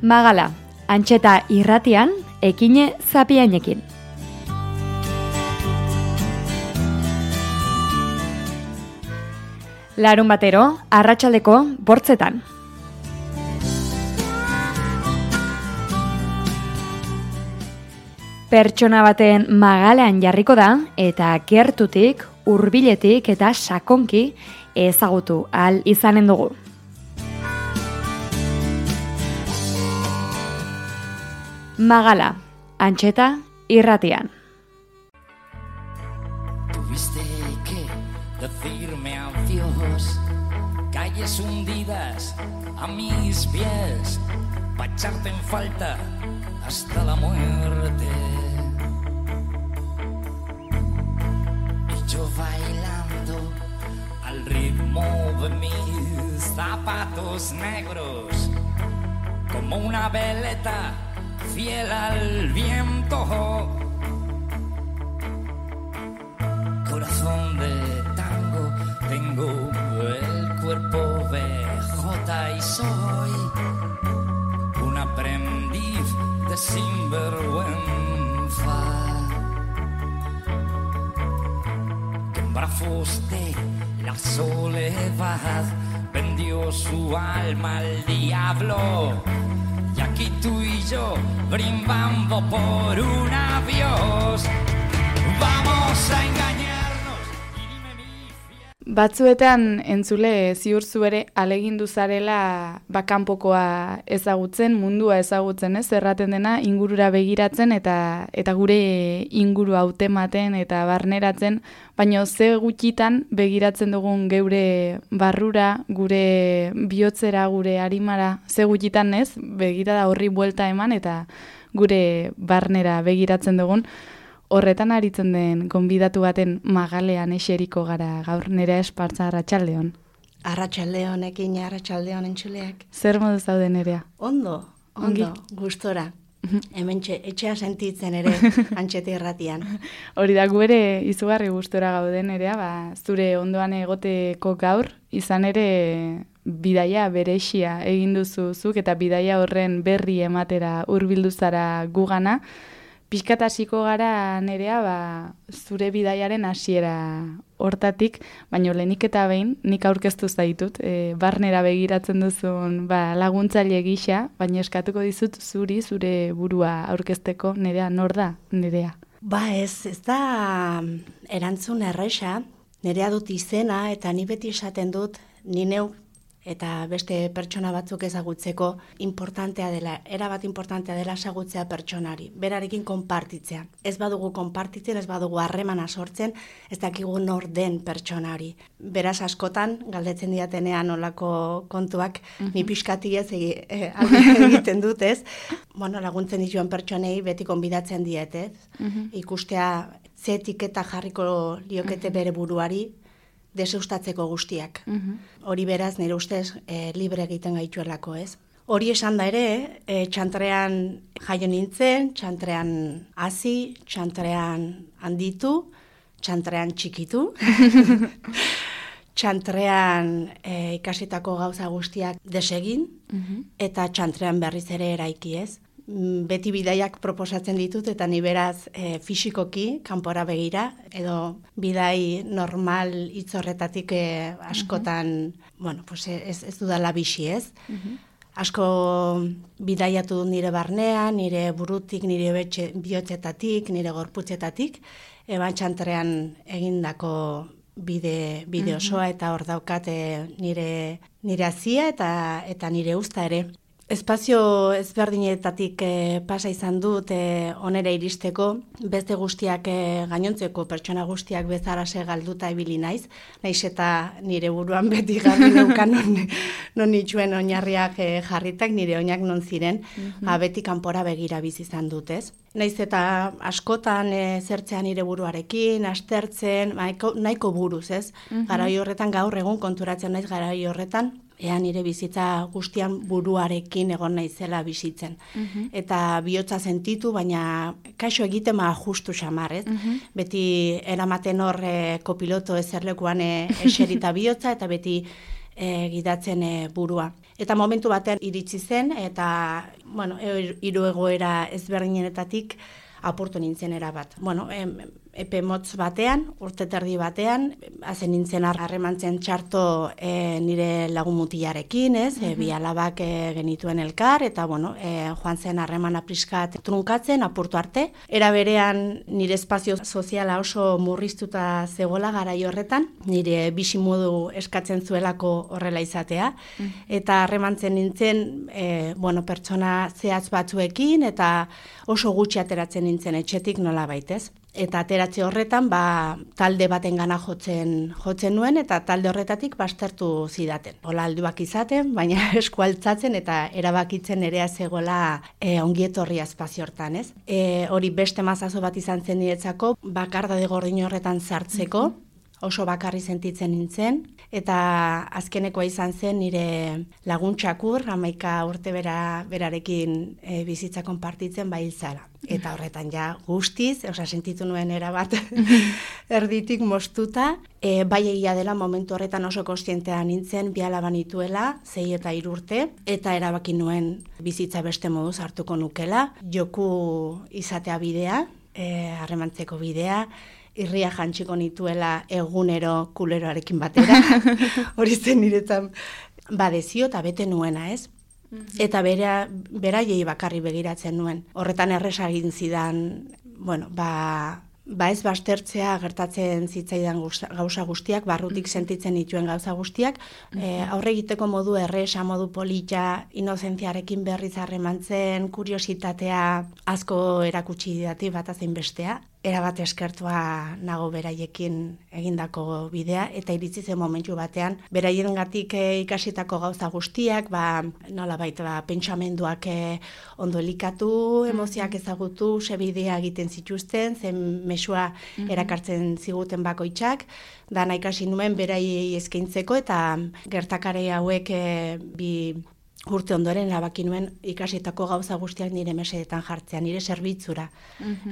Magala, Antxeta irratian, Ekine Zapiainekin. Larun batero, arratsaldeko 8:00. Pertsona baten magalean jarriko da eta gertutik, hurbiletik eta sakonki ezagutu ahal izanen dugu. Magala, Antxeta irratian. Tuviste que decirme adiós, calles hundidas a mis pies, pa' echarte en falta hasta la muerte. Y yo bailando al ritmo de mis zapatos negros, como una veleta fiel al viento. Corazón de tango, tengo el cuerpo BJ y soy un aprendiz de sinvergüenza, que en brazos de la soledad vendió su alma al diablo. Y aquí tú y yo brindando por un adiós. Vamos a engañarnos y dime mi fiel. Batzuetan entzule ziur zu ere alegindu zarela kanpokoa ezagutzen, mundua ezagutzen, ez? Erraten dena ingurura begiratzen eta gure inguru hautematen eta barneratzen, baina ze gutxitan begiratzen dugun geure barrura, gure bihotzera, gure arimara, ze gutxitan, ez? Begirada horri buelta eman eta gure barnera begiratzen dugun. Horretan aritzen den gonbidatu baten magalean eseriko gara gaur. Nerea Espartza, arratsaldeon. Arratsaldeon, Ekine, arratsaldeon entzuleak. Zer modu zaude, Nerea? Ondo, Ongi? gustora. Hementxe etxea sentitzen ere Antxeta irratian. Hori da, gu ere izugarri gustora gaude, Nerea, zure ondoan egoteko gaur, izan ere bidaia berexia egin duzuzuk eta bidaia horren berri ematera hurbildu zara gugana. Pixkat hasiko gara, Nerea, zure bidaiaren hasiera hortatik, baina lehenik eta behin, nik aurkeztu zaitut, barnera begiratzen duzun laguntzaile gisa, baina eskatuko dizut zure burua aurkezteko. Nerea, nor da, Nerea? Ez da erantzun erresa, Nerea dut izena eta ni beti esaten dut, ni neu eta beste pertsona batzuk ezagutzeko importantea dela, erabat importantea dela ezagutzea pertsonari, berarekin konpartitzea. Ez badugu konpartitzen, ez badugu harremana sortzen, ez dakigu nor den pertsonari. Beraz askotan, galdetzen diatenean olako kontuak, ni pixkati ez egiten dut, ez? Laguntzen dituen pertsonei beti konbidatzen diet, ez? Ikustea ze etiketa jarriko liokete bere buruari, deseustatzeko guztiak. Hori beraz, nire ustez, libre egiten gaituelako, ez? Hori esan da ere, txantrean jaio nintzen, txantrean hazi, txantrean handitu, txantrean txikitu, txantrean ikasitako gauza guztiak desegin, eta txantrean berriz ere eraiki, ez? Beti bidaiak proposatzen ditut eta ni beraz fisikoki kanpora begira edo bidai normal hitz horretatik askotan, ez dudala bixi, ez? Asko bidaiatu dut nire barnean, nire burutik, nire bihotzetatik, nire gorputzetatik, txantrean egindako bide osoa eta hor daukat nire hazia eta nire uzta ere. Espazio ezberdinetatik pasa izan dut onera iristeko, beste guztiak gainontzeko pertsona guztiak bezarase galduta ibili naiz eta nire buruan beti garbi neukan non itxuen oinarriak jarritak, nire oinak non ziren, beti kanpora begira bizi izan dut, ez? Naiz eta askotan zertzean nire buruarekin, astertzen, nahiko buruz, ez? Garai horretan gaur egun konturatzen naiz garai horretan, nire bizitza guztian buruarekin egon naizela bizitzen. Eta bihotza sentitu, baina kaixo egiten justu xamar, ez? Beti eramaten hor kopiloto ezerlekuan eserita bihotza, eta beti gidatzen burua. Eta momentu batean iritsi zen, eta, hiru egoera ezberdinetatik apurtu nintzen erabat. Epe motz batean, urte terdi batean, hazen nintzen harremantzen txarto nire lagun mutilarekin, bi alabak genituen elkar, eta joan zen harremana pixkat trunkatzen, apurtu arte. Era berean nire espazio soziala oso murriztuta zegoela garai horretan, nire bizimodu eskatzen zuelako horrela izatea, eta harremantzen nintzen, pertsona zehatz batzuekin, eta oso gutxi ateratzen nintzen etxetik nola baitez. Eta ateratze horretan, talde batengana jotzen nuen, eta talde horretatik baztertu zidaten. Hola alduak izaten, baina eskualtzatzen eta erabakitzen ere zegoela ongietorria espazio hortan, ez? Hori beste mazazo bat izan zen niretzako, bakardade gordin horretan sartzeko, oso bakarri sentitzen nintzen, eta azkenekoa izan zen nire laguntxakur, 11 urte berarekin bizitza konpartitzen hiltzala. Eta horretan guztiz, sentitu nuen erabat erditik moztuta, bai egia dela momentu horretan oso kontzientea nintzen, bi alaba nituela, 6 eta 3 urte, eta erabaki nuen bizitza beste moduz hartuko nukela, joku izatea bidea, harremantzeko bidea, irria jantxiko nituela egunero kuleroarekin batera, hori zen niretan badezio eta bete nuena, ez? Eta beraiei bakarri begiratzen nuen. Horretan erresa egin zidan, ez baztertzea gertatzen zitzaidan gauza guztiak, barrutik sentitzen dituen gauza guztiak, aurre egiteko modu erresa, modu polita, inozentziarekin berriz harremantzen, kuriositatea asko erakutsi didati bat azein bestea. Erabat eskertua nago beraiekin egindako bidea, eta iritsi zen momentu batean, beraiengatik ikasitako gauza guztiak, nolabait pentsamenduak ondo elikatu, emozioak ezagutu, ze bidea egiten zituzten, zen mesua erakartzen ziguten bakoitzak, dana ikasi nuen beraiei eskaintzeko, eta gertakari hauek bi urte ondoren erabaki nuen ikasitako gauza guztiak nire mesedetan jartzea, nire zerbitzura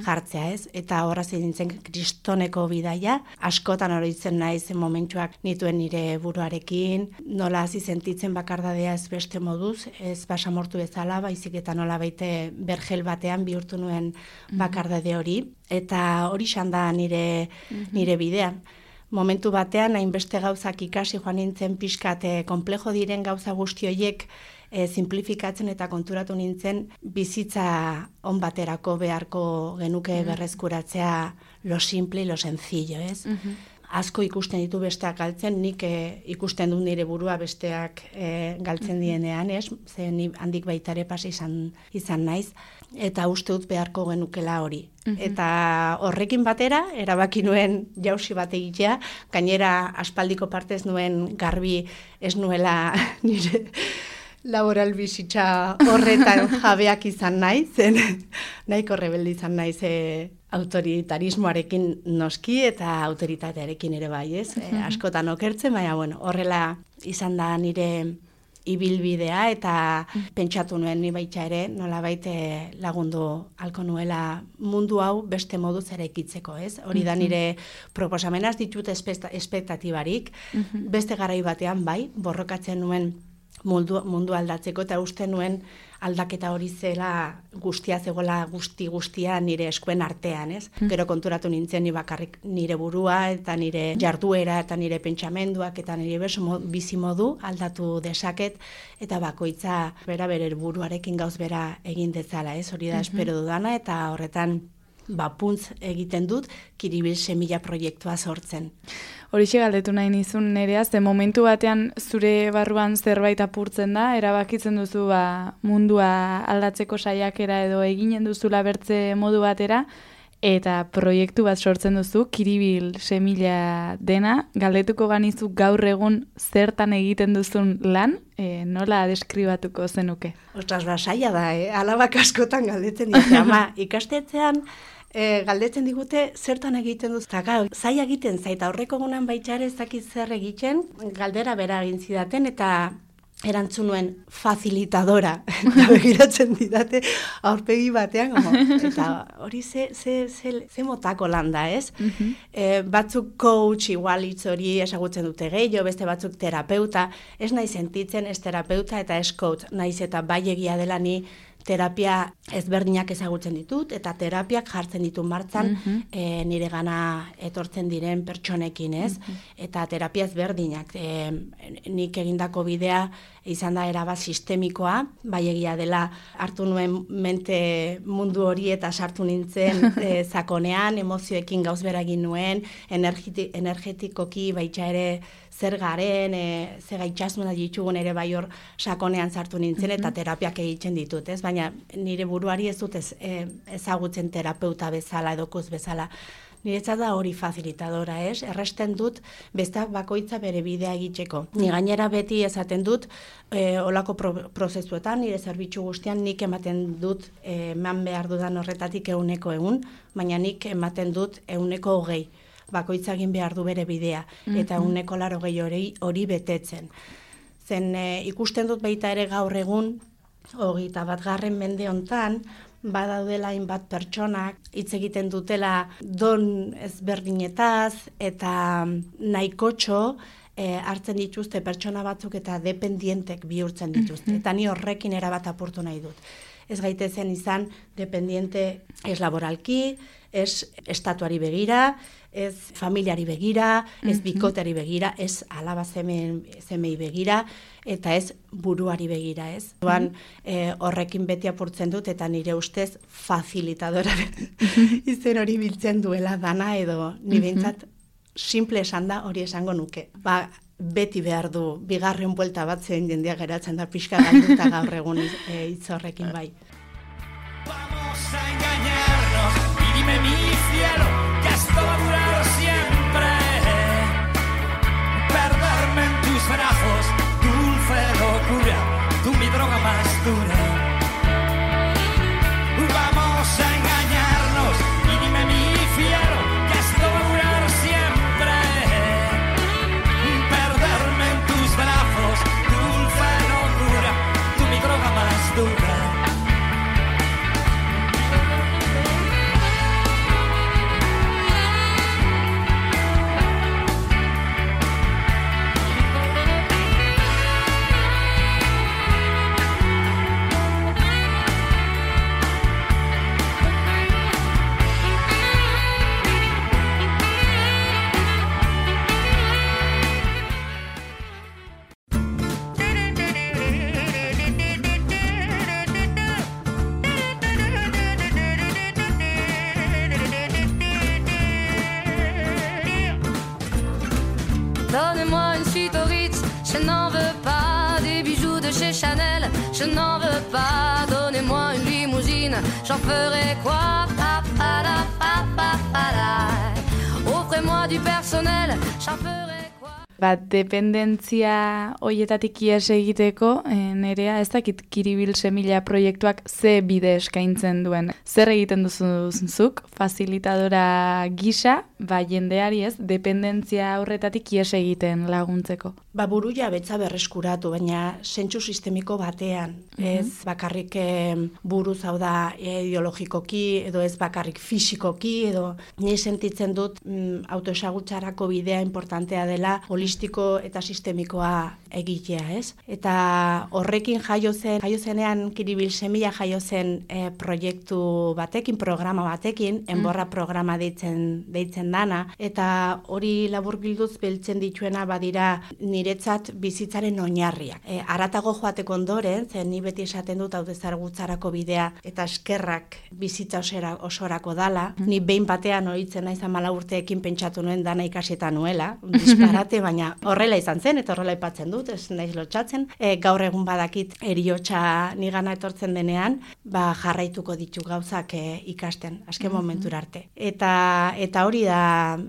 jartzea, ez? Eta horra nintzen kristoneko bidaia, askotan oroitzen naiz momentuak nituen nire buruarekin, nola hasi sentitzen bakardadea ez beste moduz, ez basamortu bezala, baizik eta nola baite bergel batean bihurtu nuen bakardade hori, eta hori da nire bidea. Momentu batean, hainbeste gauzak ikasi joan nintzen pixkat konplejo diren gauza guzti horiek simplifikatzen eta konturatu nintzen bizitza on baterako beharko genuke berreskuratzea lo simple y lo sencillo, ez? Asko ikusten ditu besteak galtzen, nik ikusten dut nire burua besteak galtzen dienean, ez? Ze ni handik baita ere pasa izan naiz, eta uste dut beharko genukela hori. Eta horrekin batera, erabaki nuen jausi bat egitea, gainera aspaldiko partez nuen garbi ez nuela nire laboral bizitza horretan jabeak izan naiz, nahiko rebelde izan naiz autoritarismoarekin noski eta autoritatearekin ere bai, ez? Askotan okertzen, baina horrela izan da nire ibilbidea, eta pentsatu nuen ni baita ere nolabait lagundu halko nuela mundu hau beste moduz eraikitzeko, ez? Hori da nire proposamenaz ditut espektatibarik, beste garai batean bai, borrokatzen nuen mundu aldatzeko, eta uste nuen aldaketa hori zela guztia zegoela guztia nire eskuen artean, ez? Gero konturatu nintzen ni bakarrik nire burua eta nire jarduera eta nire pentsamenduak eta nire bizimodu aldatu dezaket, eta bakoitza bere buruarekin gauz bera egin dezala, ez? Hori da espero dudana, eta horretan puntz egiten dut Kiribil semilla proiektua sortzen. Horixe galdetu nahi nizun nerea, ze momentu batean zure barruan zerbait apurtzen da, erabakitzen duzu mundua aldatzeko saiakera edo eginen duzula bertze modu batera, eta proiektu bat sortzen duzu, Kiribil semilla dena, galdetuko banizu gaur egun zertan egiten duzun lan, nola deskribatuko zenuke? Ostras, saia da, alabak askotan galdetzen dute, ama ikastetzean galdetzen digute zertan egiten duz. Zaila egiten zaita, horreko gunan baitxare ez dakit zer egiten, galdera bera egin zidaten, eta erantzun nuen facilitadora, eta begiratzen didate aurpegi batean, eta hori ze motako landa, ez? Batzuk coach, igual hitz hori esagutzen dute gehiago, beste batzuk terapeuta, ez nahi sentitzen ez terapeuta eta ez coach, naiz eta bai egia dela ni terapia ezberdinak ezagutzen ditut, eta terapiak jartzen ditu martzan nire gana etortzen diren pertsonekin, ez? Eta terapia ezberdinak. Nik egindako bidea izan da erabat sistemikoa, bai egia dela hartu nuen mente mundu hori eta sartu nintzen sakonean, emozioekin gauz bera egin nuen, energetikoki baita ere zer garen, ze gaitxasuna ditugun ere bai hor sakonean sartu nintzen eta terapiak egiten ditut, ez? Baina nire buruari ez dut ezagutzen terapeuta bezala edo koz bezala. Niretzat da hori facilitadora, ez? Erresten dut besteak bakoitza bere bidea egiteko. Ni gainera beti esaten dut olako prozesuetan, nire zerbitzu guztian nik ematen dut eman behar dudan horretatik 100%, baina nik ematen dut 120%. Bakoitza egin behar du bere bidea, eta 180% hori betetzen. Zen ikusten dut baita ere gaur egun, 21. mende hontan, badaudela hainbat pertsonak hitz egiten dutela don ezberdinetaz eta nahikotxo hartzen dituzte pertsona batzuk eta dependientek bihurtzen dituzte. Eta ni horrekin erabat apurtu nahi dut. Ez gaitezen izan dependiente ez laboralki, ez estatuari begira, ez familiari begira, ez bikoteari begira, ez alaba zemei begira, eta ez buruari begira, ez? Horrekin beti apurtzen dut, eta nire ustez facilitadora izen hori biltzen duela dana, edo nire bintzat simple esan da hori esango nuke. Beti behar du, bigarren buelta bat zein jendia geratzen da pixka galduta gaur egun hitz horrekin bai. Vamos a engañarnos y dime mi cielo que esto va a durar siempre. Perderme en tus brazos, dulce locura, tú mi droga más dura. Vamos a engañarnos y dime mi cielo que esto va a durar siempre. Perderme en tus brazos, dulce locura, tú mi droga más dura. Donnez-moi une suite au Ritz, je n'en veux pas. Des bijoux de chez Chanel, je n'en veux pas. Donnez-moi une limousine, j'en ferai quoi? Offrez-moi du personnel, j'en ferai quoi? Dependentzia hoietatik ihes egiteko, Nerea, ez dakit Kiribil Semilla proiektuak ze bide eskaintzen duen. Zer egiten duzuzuk, facilitadora gisa, jendeari ez, dependentzia horretatik ihes egiten laguntzeko? Buru jabetza berreskuratu, baina zentsu sistemiko batean. Ez bakarrik buruz hau da ideologikoki, edo ez bakarrik fisikoki, edo ni sentitzen dut autoesagutzarako bidea importantea dela holistiko eta sistemikoa egitea, ez? Eta horrekin jaio zenean Kiribil Semilla jaio zen proiektu batekin, programa batekin, enborra programa deitzen dana, eta hori laburbilduz beltzen dituena badira niretzat bizitzaren oinarriak. Haratago joateko ondoren, zen ni beti esaten dut autoezagutzarako bidea eta eskerrak bizitza osorako dala. Ni behin batean ohitzen naiz 14 urteekin pentsatu nuen dana ikasita nuela, disparate, baina horrela izan zen eta horrela aipatzen dut, ez naiz lotsatzen. Gaur egun badakit heriotza nigana etortzen denean, jarraituko ditu gauzak ikasten, azken momentura arte. Eta hori da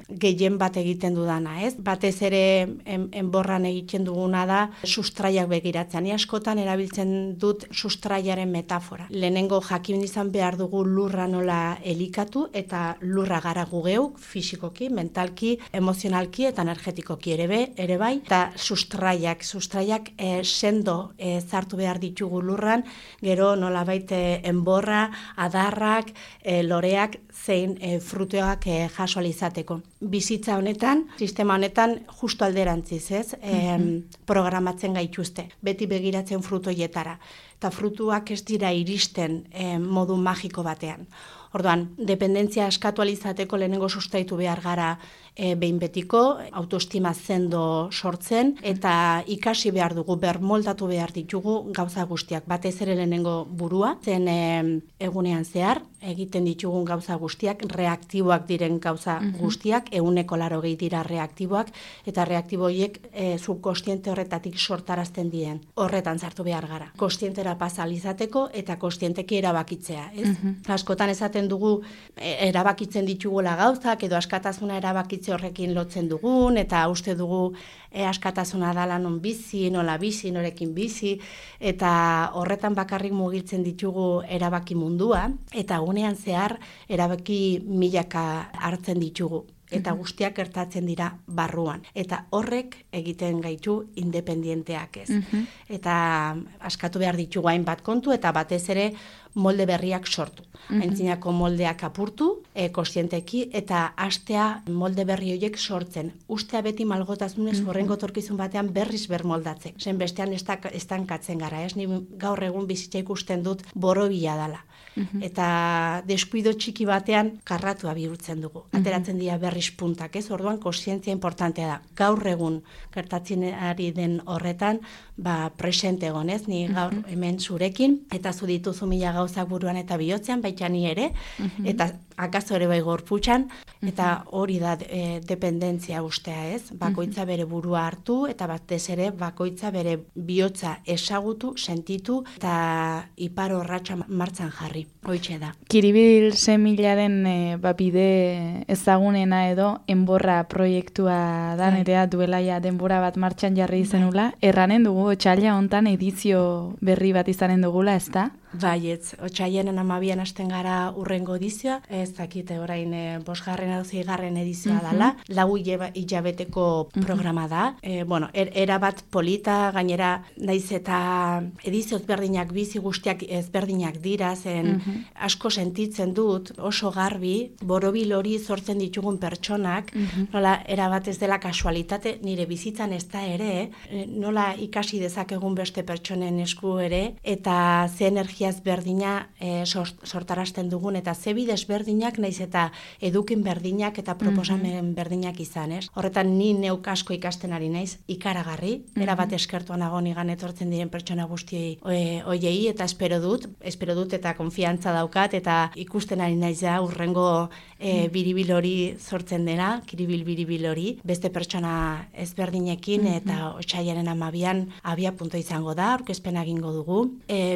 gehien bat egiten dudana, ez? Batez ere enborran egiten duguna da sustraiak begiratzen. Ni askotan erabiltzen dut sustraiaren metafora. Lehenengo jakin izan behar dugu lurra nola elikatu, eta lurra gara gu geuk, fisikoki, mentalki, emozionalki eta energetikoki ere be, gabe ere bai, eta sustraiak sendo zartu behar ditugu lurran, gero nolabait enborra, adarrak, loreak, zein frutoak jaso izateko. Bizitza honetan, sistema honetan, justo alderantziz, ez? Programatzen gaituzte, beti begiratzen frutoietara. Eta frutuak ez dira iristen modu magiko batean. Orduan, dependentzia eskatu alizateko lehenengo sustaitu behar gara behin betiko, autoestima zendo sortzen, eta ikasi behar dugu, bermoldatu behar ditugu gauza guztiak. Batez ere lehenengo burua, zen egunean zehar, egiten ditugun gauza guztiak, reaktiboak diren gauza guztiak, 80% dira reaktiboak, eta reaktiboiek subkostiente horretatik sortarazten dien. Horretan zartu behar gara. Kostientera pasalizateko eta kostienteki erabakitzea. Ez? Askotan esaten dugu erabakitzen ditugula gauzak, edo askatasuna erabakitze horrekin lotzen dugun, eta uste dugu askatasuna dala non bizi, nola bizi, norekin bizi, eta horretan bakarrik mugitzen ditugu erabaki mundua, eta gunean zehar erabaki milaka hartzen ditugu. Eta guztiak gertatzen dira barruan. Eta horrek egiten gaitu independienteak ez. Eta askatu behar ditugu hainbat kontu, eta batez ere molde berriak sortu. Aintzinako moldeak apurtu, kostienteki, eta hastea molde berri horiek sortzen. Ustea beti malgotasunez horrengo etorkizun batean berriz bermoldatzen. Zen bestean estankatzen gara, ez? Ni gaur egun bizitza ikusten dut borobila dala. Eta deskuido txiki batean karratua bihurtzen dugu. Ateratzen dira berriz puntak, ez? Orduan kontzientzia importantea da. Gaur egun gertatzen ari den horretan, presente egon, ez? Ni gaur hemen zurekin, eta zu dituzu mila gauzak buruan eta bihotzean, baita ni ere, eta akaso ere bai gorputxan, eta hori da dependentzia ustea, ez? Bakoitza bere burua hartu, eta batez ere bakoitza bere bihotza ezagutu, sentitu, eta ipar horratxa martzan jarri. Hoitxe da. Kiribil semilaren bide ezagunena edo enborra proiektua da, nerea duela ja denbora bat martxan jarri izenula. Erranen dugu, otsaila hontan edizio berri bat izanen dugula, ez da? Baietz, otsailaren 12an hasten gara urrengo edizioa, ez dakite orain 5. edo 6. edizioa dela, 4 hilabeteko programa da. Erabat polita, gainera naiz eta edizio ezberdinak bizi guztiak ezberdinak dira, zen asko sentitzen dut, oso garbi, borobil hori sortzen ditugun pertsonak, nola erabat ez dela kasualitate, nire bizitzan ez da ere, nola ikasi dezakegun beste pertsonen esku ere, eta ze energia ezberdina sortarazten dugun, eta ze bidez berdinak naiz eta edukin berdinak eta proposamen berdinak izan, ez? Horretan ni neuk asko ikasten ari naiz, ikaragarri, erabat eskertua nago nigan etortzen diren pertsona guztiei hoiei, eta espero dut eta konfiantza daukat, eta ikusten ari naiz da urrengo biribil hori sortzen dena, kiribil biribil hori, beste pertsona ezberdinekin, eta otsailaren 12an abia punto izango da, aurkezpena egingo dugu.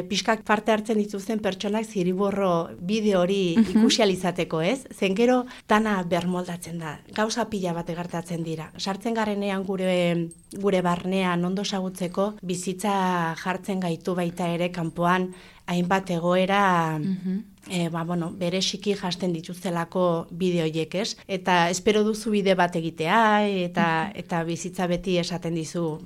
Pixkak parte hartzen dituzten pertsonak ziriborro bideo hori ikusializateko, ez? Zen gero dana bermoldatzen da. Gauza pila bat gertatzen dira. Sartzen garenean gure barnean ondo ezagutzeko bizitza jartzen gaitu baita ere kanpoan hainbat egoera bereziki jasten dituztelako bideoiek, ez? Eta espero duzu bide bat egitea, eta bizitza beti esaten dizu,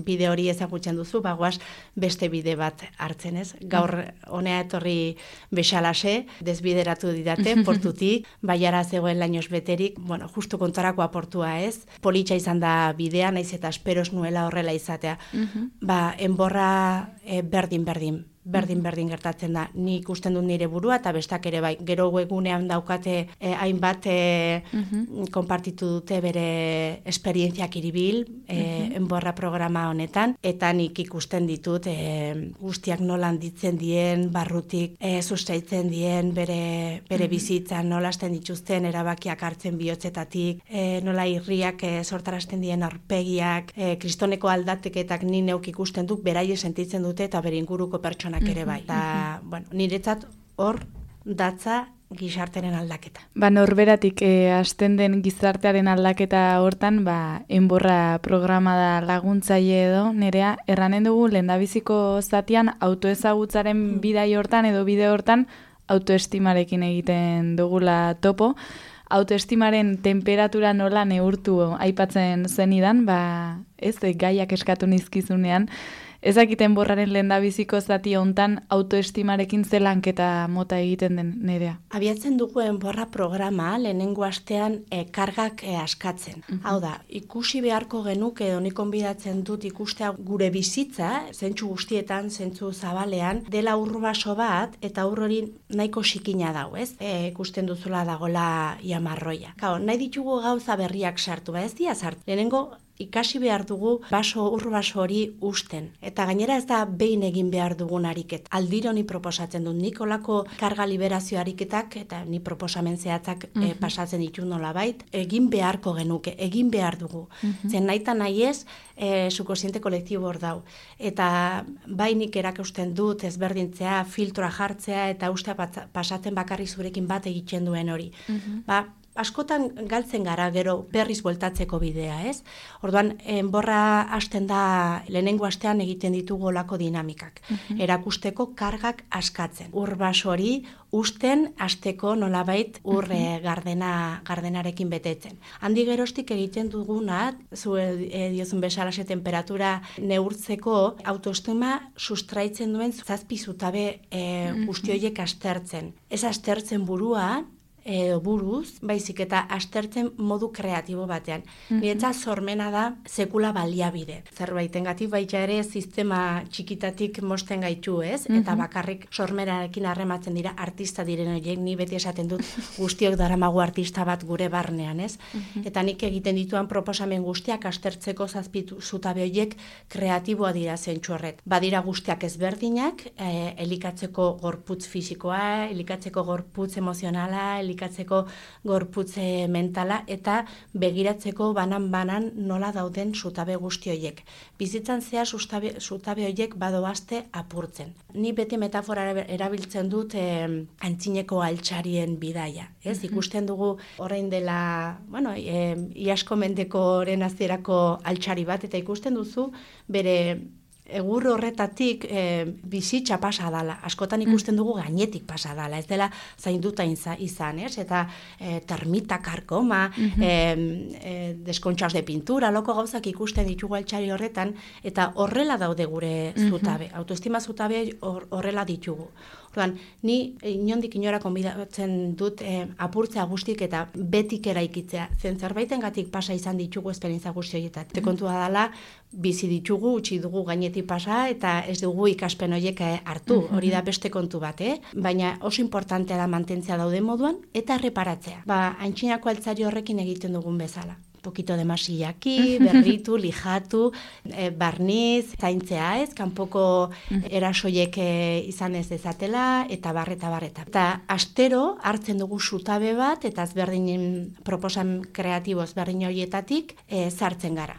bide hori ezagutzen duzu, goaz beste bide bat hartzen, ez? Gaur honea etorri bezalase, desbideratu didate, portutik, baiara zegoen lainoz beterik, justu kontorako aportua, ez? Politxa izan da bidea, naiz eta esperos nuela horrela izatea. Enborra berdin gertatzen da. Ni ikusten dut nire burua, eta bestak ere bai. Gero webunean daukate hainbat konpartitu dute bere esperientzia kiribil, enborra programa honetan, eta nik ikusten ditut guztiak nola handitzen dien, barrutik sustaitzen dien bere bizitzan, nola hasten dituzten erabakiak hartzen bihotzetatik, nola irriak sortarazten dien aurpegiak, kristoneko aldateketak ni neuk ikusten dut, beraie sentitzen dute, eta bere inguruko pertsonak ere bai. Eta, niretzat hor datza gizartearen aldaketa. Norberatik hasten den gizartearen aldaketa hortan, enborra programa da laguntzaile edo, nerea, erranen dugu lehendabiziko zatian autoezagutzaren bidai hortan edo bide hortan autoestimarekin egiten dugula topo. autoestimaren temperatura nola neurtu aipatzen zenidan, ez gaiak eskatu nizkizunean, ezakiten borraren lehendabiziko zati hontan autoestimarekin ze lanketa mota egiten den Nerea. Abiatzen duguen borra programa lehenengo astean kargak askatzen. Hau da, ikusi beharko genuke edo nik konbidatzen dut ikustea gure bizitza, zentzu guztietan, zentzu zabalean, dela urbaso bat eta hori nahiko xikina dau, ez? Ikusten duzula dagola jamarroia. Nahi ditugu gauza berriak sartu, ez dira sartu. Lehenengo ikasi behar dugu urbaso hori usten. Eta gainera ez da behin egin behar dugun ariket. Aldiro ni proposatzen dut, nik olako karga liberazio ariketak, eta ni proposamen zehatzak pasatzen ditu nolabait, egin beharko genuke, egin behar dugu. Zen nahi eta nahi ez, subkonsziente kolektibo hor dau. Eta nik erakusten dut ezberdintzea, filtroa jartzea, eta ustea pasatzen bakarrik zurekin bat egiten duen hori. Askotan galtzen gara gero berriz bueltatzeko bidea, ez? Orduan, borra hasten da lehenengo astean egiten ditugu olako dinamikak. Erakusteko kargak askatzen. Urbaso hori usten hasteko nolabait gardenarekin betetzen. Handi geroztik egiten duguna, zu diozun bezalaxe temperatura neurtzeko autoestima sustraitzen duen zazpi zutabe guztioiek astertzen. Ez astertzen burua, buruz, baizik eta astertzen modu kreatibo batean. Niretzat sormena da sekula baliabide. Zerbaitengatik baita ere sistema txikitatik mosten gaitu, ez? Eta bakarrik sormerarekin harrematzen dira artista diren horiek, ni beti esaten dut guztiok daramagu artista bat gure barnean, ez? Eta nik egiten dituan proposamen guztiak astertzeko zazpitu zutabe horiek kreatiboa dira zentsu horret. Badira guztiak ezberdinak, elikatzeko gorputz fisikoa, elikatzeko gorputz emozionala, elikatzeko gorputze mentala eta begiratzeko banan nola dauden zutabe guzti horiek. Bizitzan zehar zutabe horiek badoazte apurtzen. Ni beti metafora erabiltzen dut antzineko altxarien bidaia. Ez? Ikusten dugu orain dela, iasko mendekoren hasierako altxari bat, eta ikusten duzu bere egur horretatik bizitza pasa dala. Askotan ikusten dugu gainetik pasa dala. Ez dela zainduta izan, ez? Eta termita, karkoma, deskontxaus de pintura, loko gauzak ikusten ditugu altxari horretan, eta horrela daude gure zutabe. Autoestima zutabe horrela ditugu. Orduan, ni inondik inora konbidatzen dut apurtzea guztik eta betik eraikitzea. Zen zerbaitengatik pasa izan ditugu esperientzia guzti horietat. Kontua dela, bizi ditugu, utzi dugu gainetik pasa eta ez dugu ikaspen horiek hartu. Hori da beste kontu bat, Baina oso importantea da mantentzea daude moduan eta erreparatzea. Antzinako altzari horrekin egiten dugun bezala. Pokito de masillaki, berritu, lijatu, barniz, zaintzea ez, kanpoko erasoiek izan ez dezatela, eta barreta. Eta astero hartzen dugu zutabe bat, eta ezberdinen proposan kreatibo ezberdin horietatik sartzen gara.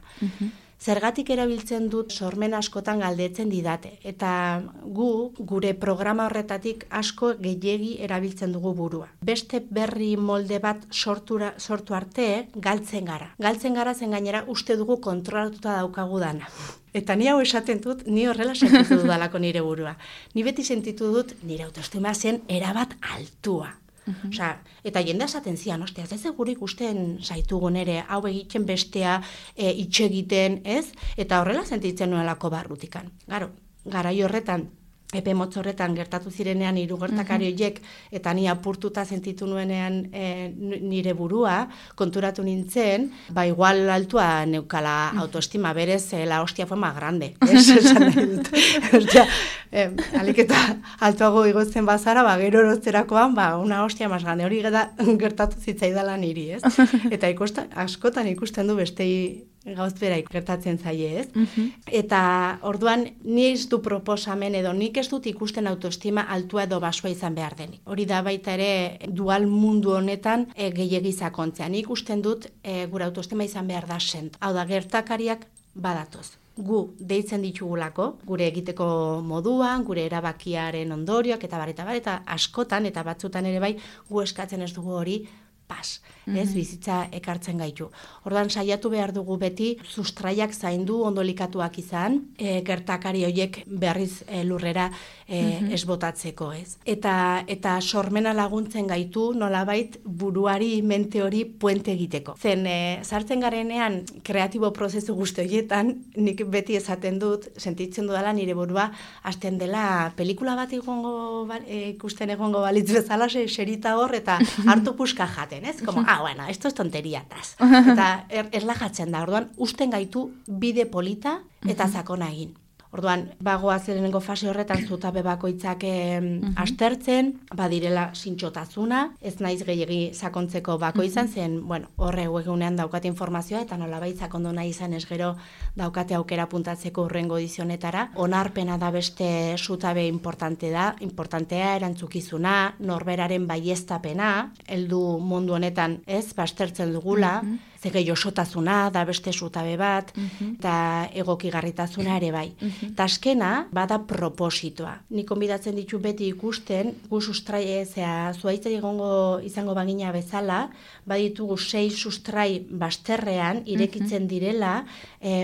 Zergatik erabiltzen dut sormen askotan galdetzen didate. Eta gure programa horretatik asko gehiegi erabiltzen dugu burua. Beste berri molde bat sortu arte galtzen gara. Galtzen gara zen gainera uste dugu kontrolatuta daukagu dana. Eta ni hau esaten dut, ni horrela sentitu dudalako nire burua. Ni beti sentitu dut nire autoestima zen erabat altua. Eta jendea esaten zian, ostia, ez gure ikusten zaitugun ere, hau egiten bestea, itxe egiten, ez? Eta horrela sentitzen nuelako barrutikan. Garai horretan, epe motz horretan gertatu zirenean hiru gertakari horiek, eta ni apurtuta sentitu nuenean nire burua, konturatu nintzen, igual altua neukala autoestima, berez, la hostia fue más grande. Esan nahi dut. Alik eta altuago igotzen bazara, gero erotzerakoan, una hostia más grande. Hori gertatu zitzaidala niri, ez? Eta askotan ikusten du bestei gauz bera gertatzen zaie, ez? Eta orduan ni ez du proposamen edo nik ez dut ikusten autoestima altua edo basua izan behar denik. Hori da baita ere dual mundu honetan gehiegi sakontzea. Nik ikusten dut gure autoestima izan behar da sent. Hau da, gertakariak badatoz. Gu deitzen ditugulako, gure egiteko moduan, gure erabakiaren ondorioak eta eta askotan eta batzutan ere bai gu eskatzen ez dugu hori pas. Ez, bizitza ekartzen gaitu. Ordan saiatu behar dugu beti sustraiak zaindu ondolikatuak izan, gertakari horiek berriz lurrera ez botatzeko, ez. Eta sormena laguntzen gaitu nolabait buruari mente hori puente egiteko. Zen, sartzen garenean kreatibo prozesu guzti horietan, nik beti esaten dut, sentitzen dudala nire burua, hasten dela pelikula bat ikusten egongo balitz bezala, serita hor, eta hartu puska jaten, ez? Como, bueno, esto es tonteriatas. Eta erlajatzen da, orduan, usten gaitu bide polita eta sakona egin. Orduan, bagoaz lehenengo fase horretan zutabe bakoitzak astertzen, badirela zintxotasuna, ez naiz gehiegi sakontzeko bakoitzan, zen, bueno, horre egunean daukate informazioa, eta nolabait sakondu nahi izan ez gero daukate aukera puntatzeko urrengo edizionetara. Onarpena da beste zutabe importantea erantzukizuna, norberaren baieztapena, heldu mundu honetan ez, bastertzen dugula, zege josotasuna da beste zutabe bat, eta egokigarritasuna ere bai. Eta azkena, bada propositoa. Nik konbidatzen ditu beti ikusten, gu sustrai, zuaitzai izango bagina bezala, baditugu 6 sustrai basterrean, irekitzen direla,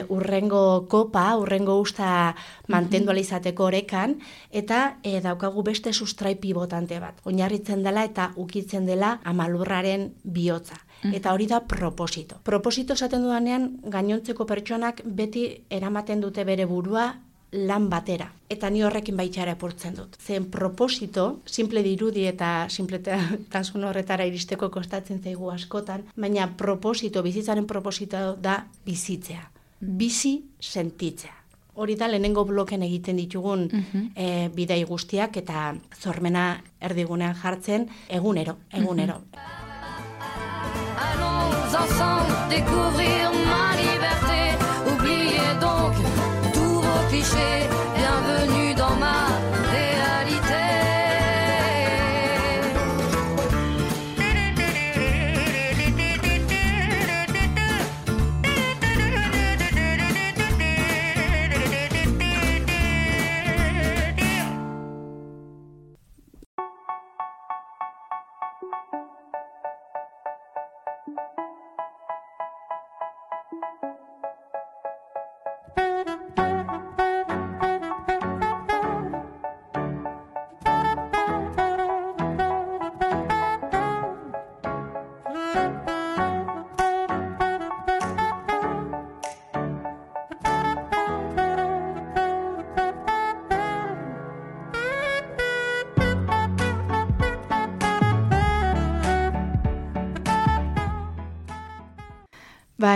urrengo kopa, urrengo usta mantendu izateko orekan, eta daukagu beste sustrai pivotante bat. Oinarritzen dela eta ukitzen dela amalurraren bihotza. Eta hori da proposito. Proposito esaten dudanean, gainontzeko pertsonak beti eramaten dute bere burua lan batera. Eta ni horrekin baitxara epurtzen dut. Zen proposito, simple dirudi eta simpletasun horretara iristeko kostatzen zaigu askotan, baina proposito, bizitzaren proposito da bizitzea. Bizi sentitzea. Hori da lehenengo bloken egiten ditugun bidai guztiak eta sormena erdigunean jartzen egunero. Allons ensemble découvrir ma liberté. Oubliez donc tous vos clichés. Bienvenue dans ma réalité.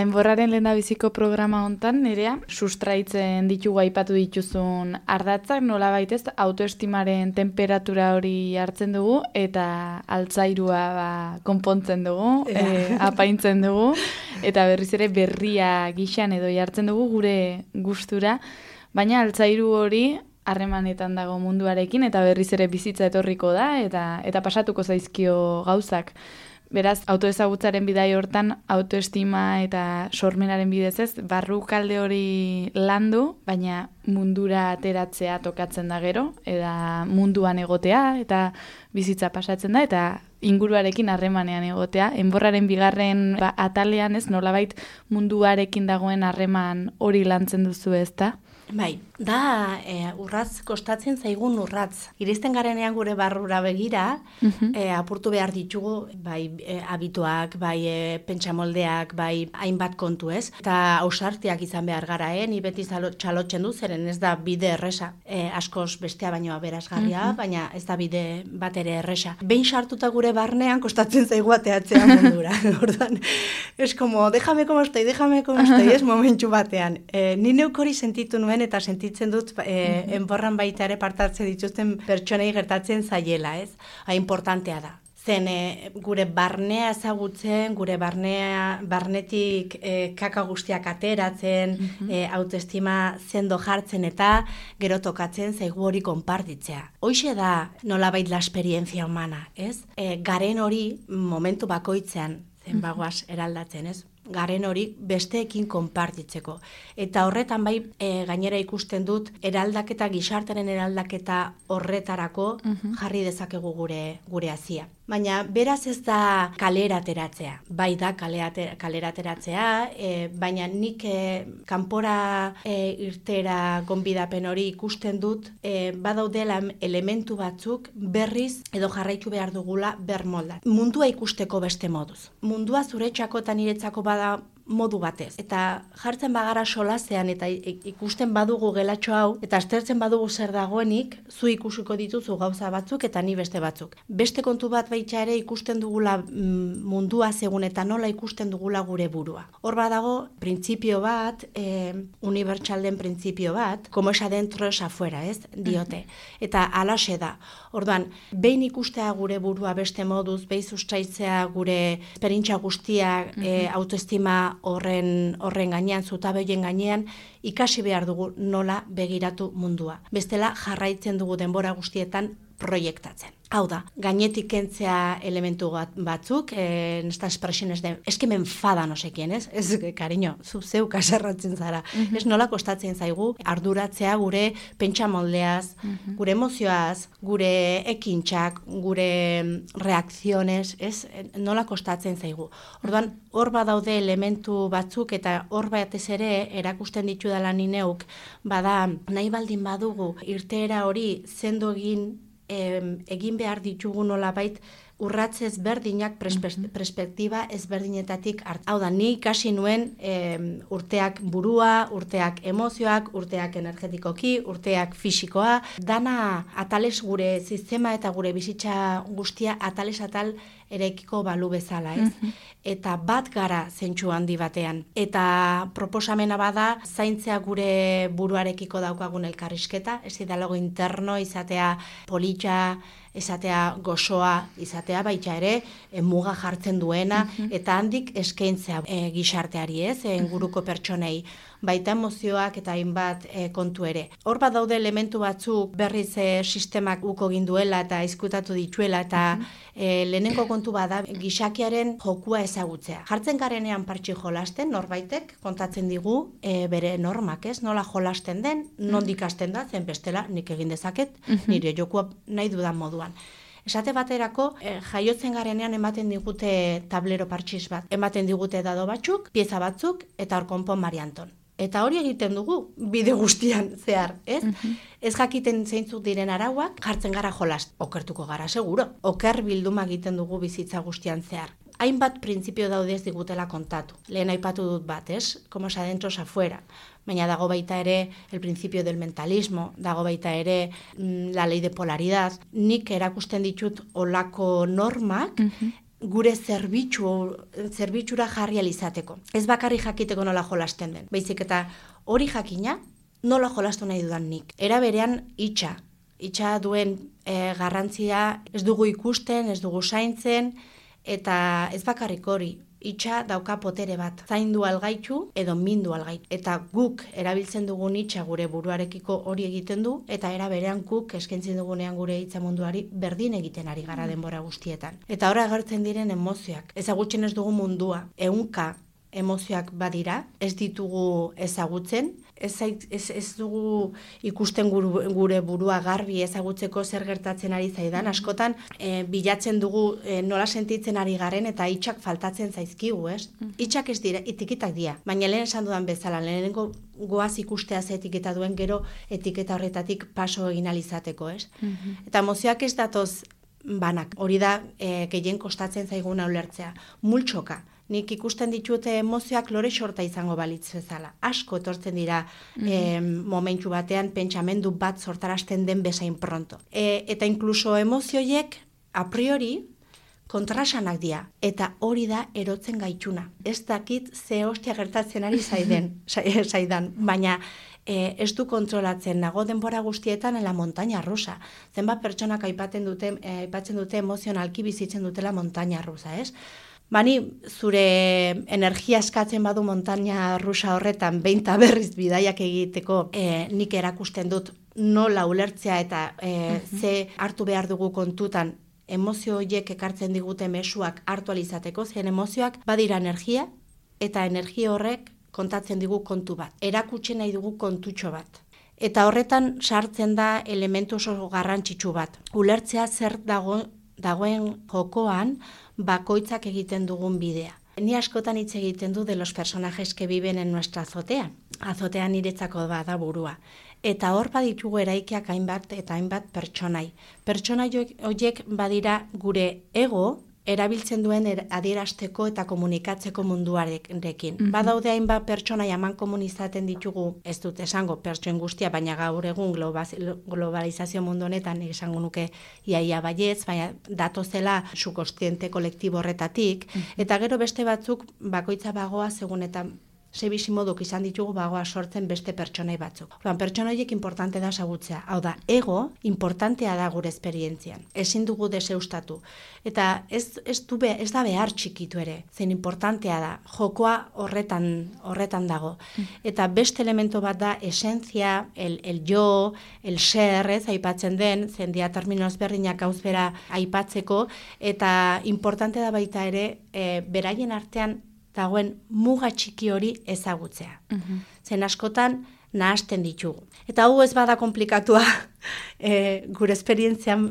Enborraren lehendabiziko programa hontan, Nerea, sustraitzen ditugu aipatu dituzun ardatzak, nolabait ez, autoestimaren temperatura hori hartzen dugu, eta altzairua konpontzen dugu, apaintzen dugu, eta berriz ere berria gixan edo jartzen dugu gure gustura, baina altzairu hori harremanetan dago munduarekin, eta berriz ere bizitza etorriko da, eta pasatuko zaizkio gauzak. Beraz, autoezagutzaren bidai hortan, autoestima eta sormenaren bidez ez, barrukalde hori landu, baina mundura ateratzea tokatzen da gero, eta munduan egotea, eta bizitza pasatzen da, eta inguruarekin harremanean egotea. Enborraren bigarren atalean ez, nolabait munduarekin dagoen harreman hori lantzen duzu ez da? Bai, da urratz kostatzen zaigun urratz. Iristen garenean gure barrura begira, apurtu behar ditugu, bai habituak, bai pentsamoldeak, bai hainbat kontu ez. Eta ausartiak izan behar gara, ni beti txalotzen du, zeren ez da bide erresa. Askoz bestea baino aberasgarria, baina ez da bide bat ere erresa. Behin sartuta gure barnean kostatzen zaigu ateatzea mundura. Orduan, es como, déjame como estoy, ez momentu batean. Ni neuk hori sentitu nuen eta sentitzen dut enborran baita ere partatzen dituzten pertsonei gertatzen zaiela, ez? Importantea da. Zen gure barnea ezagutzen, gure barnetik kaka guztiak ateratzen, autoestima zendo jartzen eta gero tokatzen zaigu hori konpartitzea. Hoixe da nolabait la esperientzia humana, ez? Garen hori momentu bakoitzean zen bagoaz eraldatzen, ez? Garen hori besteekin konpartitzeko. Eta horretan bai gainera ikusten dut eraldaketa, gizartaren eraldaketa horretarako jarri dezakegu gure hazia. Baina beraz ez da kalera ateratzea. Bai da kalera ateratzea, baina nik kanpora irtera gonbidapen hori ikusten dut, badaudela elementu batzuk berriz edo jarraitu behar dugula bermolda. Mundua ikusteko beste moduz. Mundua zuretzako eta niretzako bada modu batez. Eta jartzen bagara solasean eta ikusten badugu gelatxo hau, eta aztertzen badugu zer dagoenik, zu ikusiko dituzu gauza batzuk eta ni beste batzuk. Beste kontu bat baita ere ikusten dugula mundua segun eta nola ikusten dugula gure burua. Hor badago printzipio bat, unibertsal den printzipio bat, como es adentro es afuera, ez? Diote. Eta alaxe da. Orduan, behin ikustea gure burua beste moduz, behin sustraitzea gure esperintza guztiak, autoestima horren gainean, zutabeien gainean, ikasi behar dugu nola begiratu mundua. Bestela jarraitzen dugu denbora guztietan proiektatzen. Hau da, gainetik kentzea elementu batzuk, esta expresiones de, es que me enfada no sé quién, ez? Ez, cariño, zu zeu kaserratzen zara. Ez nola kostatzen zaigu arduratzea gure pentsamoldeaz, gure emozioaz, gure ekintxak, gure reakziones, ez? Nola kostatzen zaigu. Orduan, hor badaude elementu batzuk eta hor batez ere erakusten ditudala ni neuk, bada nahi baldin badugu irteera hori sendo egin behar ditugu nolabait urratz ezberdinak perspektiba ezberdinetatik hartu. Hau da, ni ikasi nuen urteak burua, urteak emozioak, urteak energetikoki, urteak fisikoa, dana atales gure sistema eta gure bizitza guztia atales atal erekiko balu bezala, ez? Eta bat gara zentsu handi batean. Eta proposamena bada, zaintzea gure buruarekiko daukagun elkarrizketa, ez dialogo interno, izatea politxa, izatea gozoa, izatea baita ere, muga jartzen duena, eta handik eskaintzea gizarteari, ez? Inguruko pertsonei, baita emozioak eta hainbat kontu ere. Hor bat daude elementu batzuk berriz sistemak uko ginduela eta izkutatu dituela eta lehenengo kontu bada gizakiaren jokua ezagutzea. Jartzen garenean partxi jolasten, norbaitek kontatzen digu bere normak, ez? Nola jolasten den, nondik hasten da, zen bestela nik egin dezaket, nire jokua nahi dudan moduan. Esate baterako, jaiotzen garenean ematen digute tablero partxiz bat. Ematen digute dado batzuk, pieza batzuk, eta hor konpon Mari Anton. Eta hori egiten dugu, bide guztian zehar, ez? Ez jakiten zeintzuk diren arauak, jartzen gara jolast. Okertuko gara, seguro. Oker bilduma egiten dugu bizitza guztian zehar. Hainbat printzipio daude ez digutela kontatu. Lehen aipatu dut bat, ez? Como es adentro es afuera. Baina dago baita ere el principio del mentalismo, dago baita ere la ley de polaridad. Nik erakusten ditut olako normak, gure zerbitzura jarri alizateko. Ez bakarri jakiteko nola jolasten den. Baizik eta hori jakina nola jolastu nahi dudan nik. Era berean itxa duen garrantzia ez dugu ikusten, ez dugu zaintzen, eta ez bakarrik hori. Itxa dauka potere bat, zaindu algaitu edo mindu algaitu. Eta guk erabiltzen dugun itxa gure buruarekiko hori egiten du, eta era berean guk eskaintzen dugunean gure hitza munduari berdin egiten ari gara denbora guztietan. Eta ora agertzen diren emozioak. Ezagutzen ez dugu mundua, 100 emozioak badira, ez ditugu ezagutzen, ez dugu ikusten gure burua garbi ezagutzeko zer gertatzen ari zaidan. Askotan bilatzen dugu nola sentitzen ari garen eta hitxak faltatzen zaizkigu, ez? Hitxak ez dira, etikitak dira. Baina lehen esan dudan bezala, lehenengo goaz ikustea ze etiketa duen gero etiketa horretatik paso egin alizateko, ez? Eta emozioak ez datoz banak. Hori da gehien kostatzen zaiguna ulertzea. Multxoka. Nik ikusten ditute emozioak lore sorta izango balitz bezala. Asko etortzen dira momentu batean pentsamendu bat sortarazten den bezain pronto. Eta inkluso emozioiek a priori kontrasanak dira. Eta hori da erotzen gaituna. Ez dakit ze hostia gertatzen ari zaidan, baina ez du kontrolatzen, nago denbora guztietan en la montaña rusa. Zenbat pertsonak aipatzen dute emozionalki bizitzen dutela montaña rusa, ez? Bani, zure energia eskatzen badu montaña rusa horretan, behin eta berriz bidaiak egiteko nik erakusten dut nola ulertzea eta ze hartu behar dugu kontutan emozio horiek ekartzen digute mezuak hartu alizateko, zen emozioak badira energia eta energia horrek kontatzen digu kontu bat. Erakutsi nahi dugu kontutxo bat. Eta horretan sartzen da elementu oso garrantzitsu bat. Ulertzea zer dago dagoen jokoan bakoitzak egiten dugun bidea. Ni askotan hitz egiten du de los personajes que viven en nuestra azotea. Azotea niretzako da burua. Eta hor baditugu eraikiak hainbat eta hainbat pertsonai. Pertsonai horiek badira gure ego erabiltzen duen adierazteko eta komunikatzeko munduarekin. Badaude hainbat pertsonai aman komunizaten ditugu, ez dut esango pertsoen guztia, baina gaur egun globalizazio mundu honetan esango nuke iaia baietz, baina datozela subkontziente kolektibo horretatik, eta gero beste batzuk bakoitza bagoa segun eta sebisi moduk izan ditugu bagoa sortzen beste pertsonai batzuk. Pertsona horiek importante da ezagutzea. Hau da, ego importantea da gure esperientzian. Ezin dugu deseustatu. Eta ez da behar txikitu ere, zen importantea da. Jokoa horretan dago. Eta beste elemento bat da esentzia, el yo, el ser, aipatzen den, zen dia termino ezberdinak gauzbera aipatzeko, eta importante da baita ere, beraien artean dagoen muga txiki hori ezagutzea. Zen askotan nahasten ditugu. Eta hau ez bada komplikatua, gure esperientzian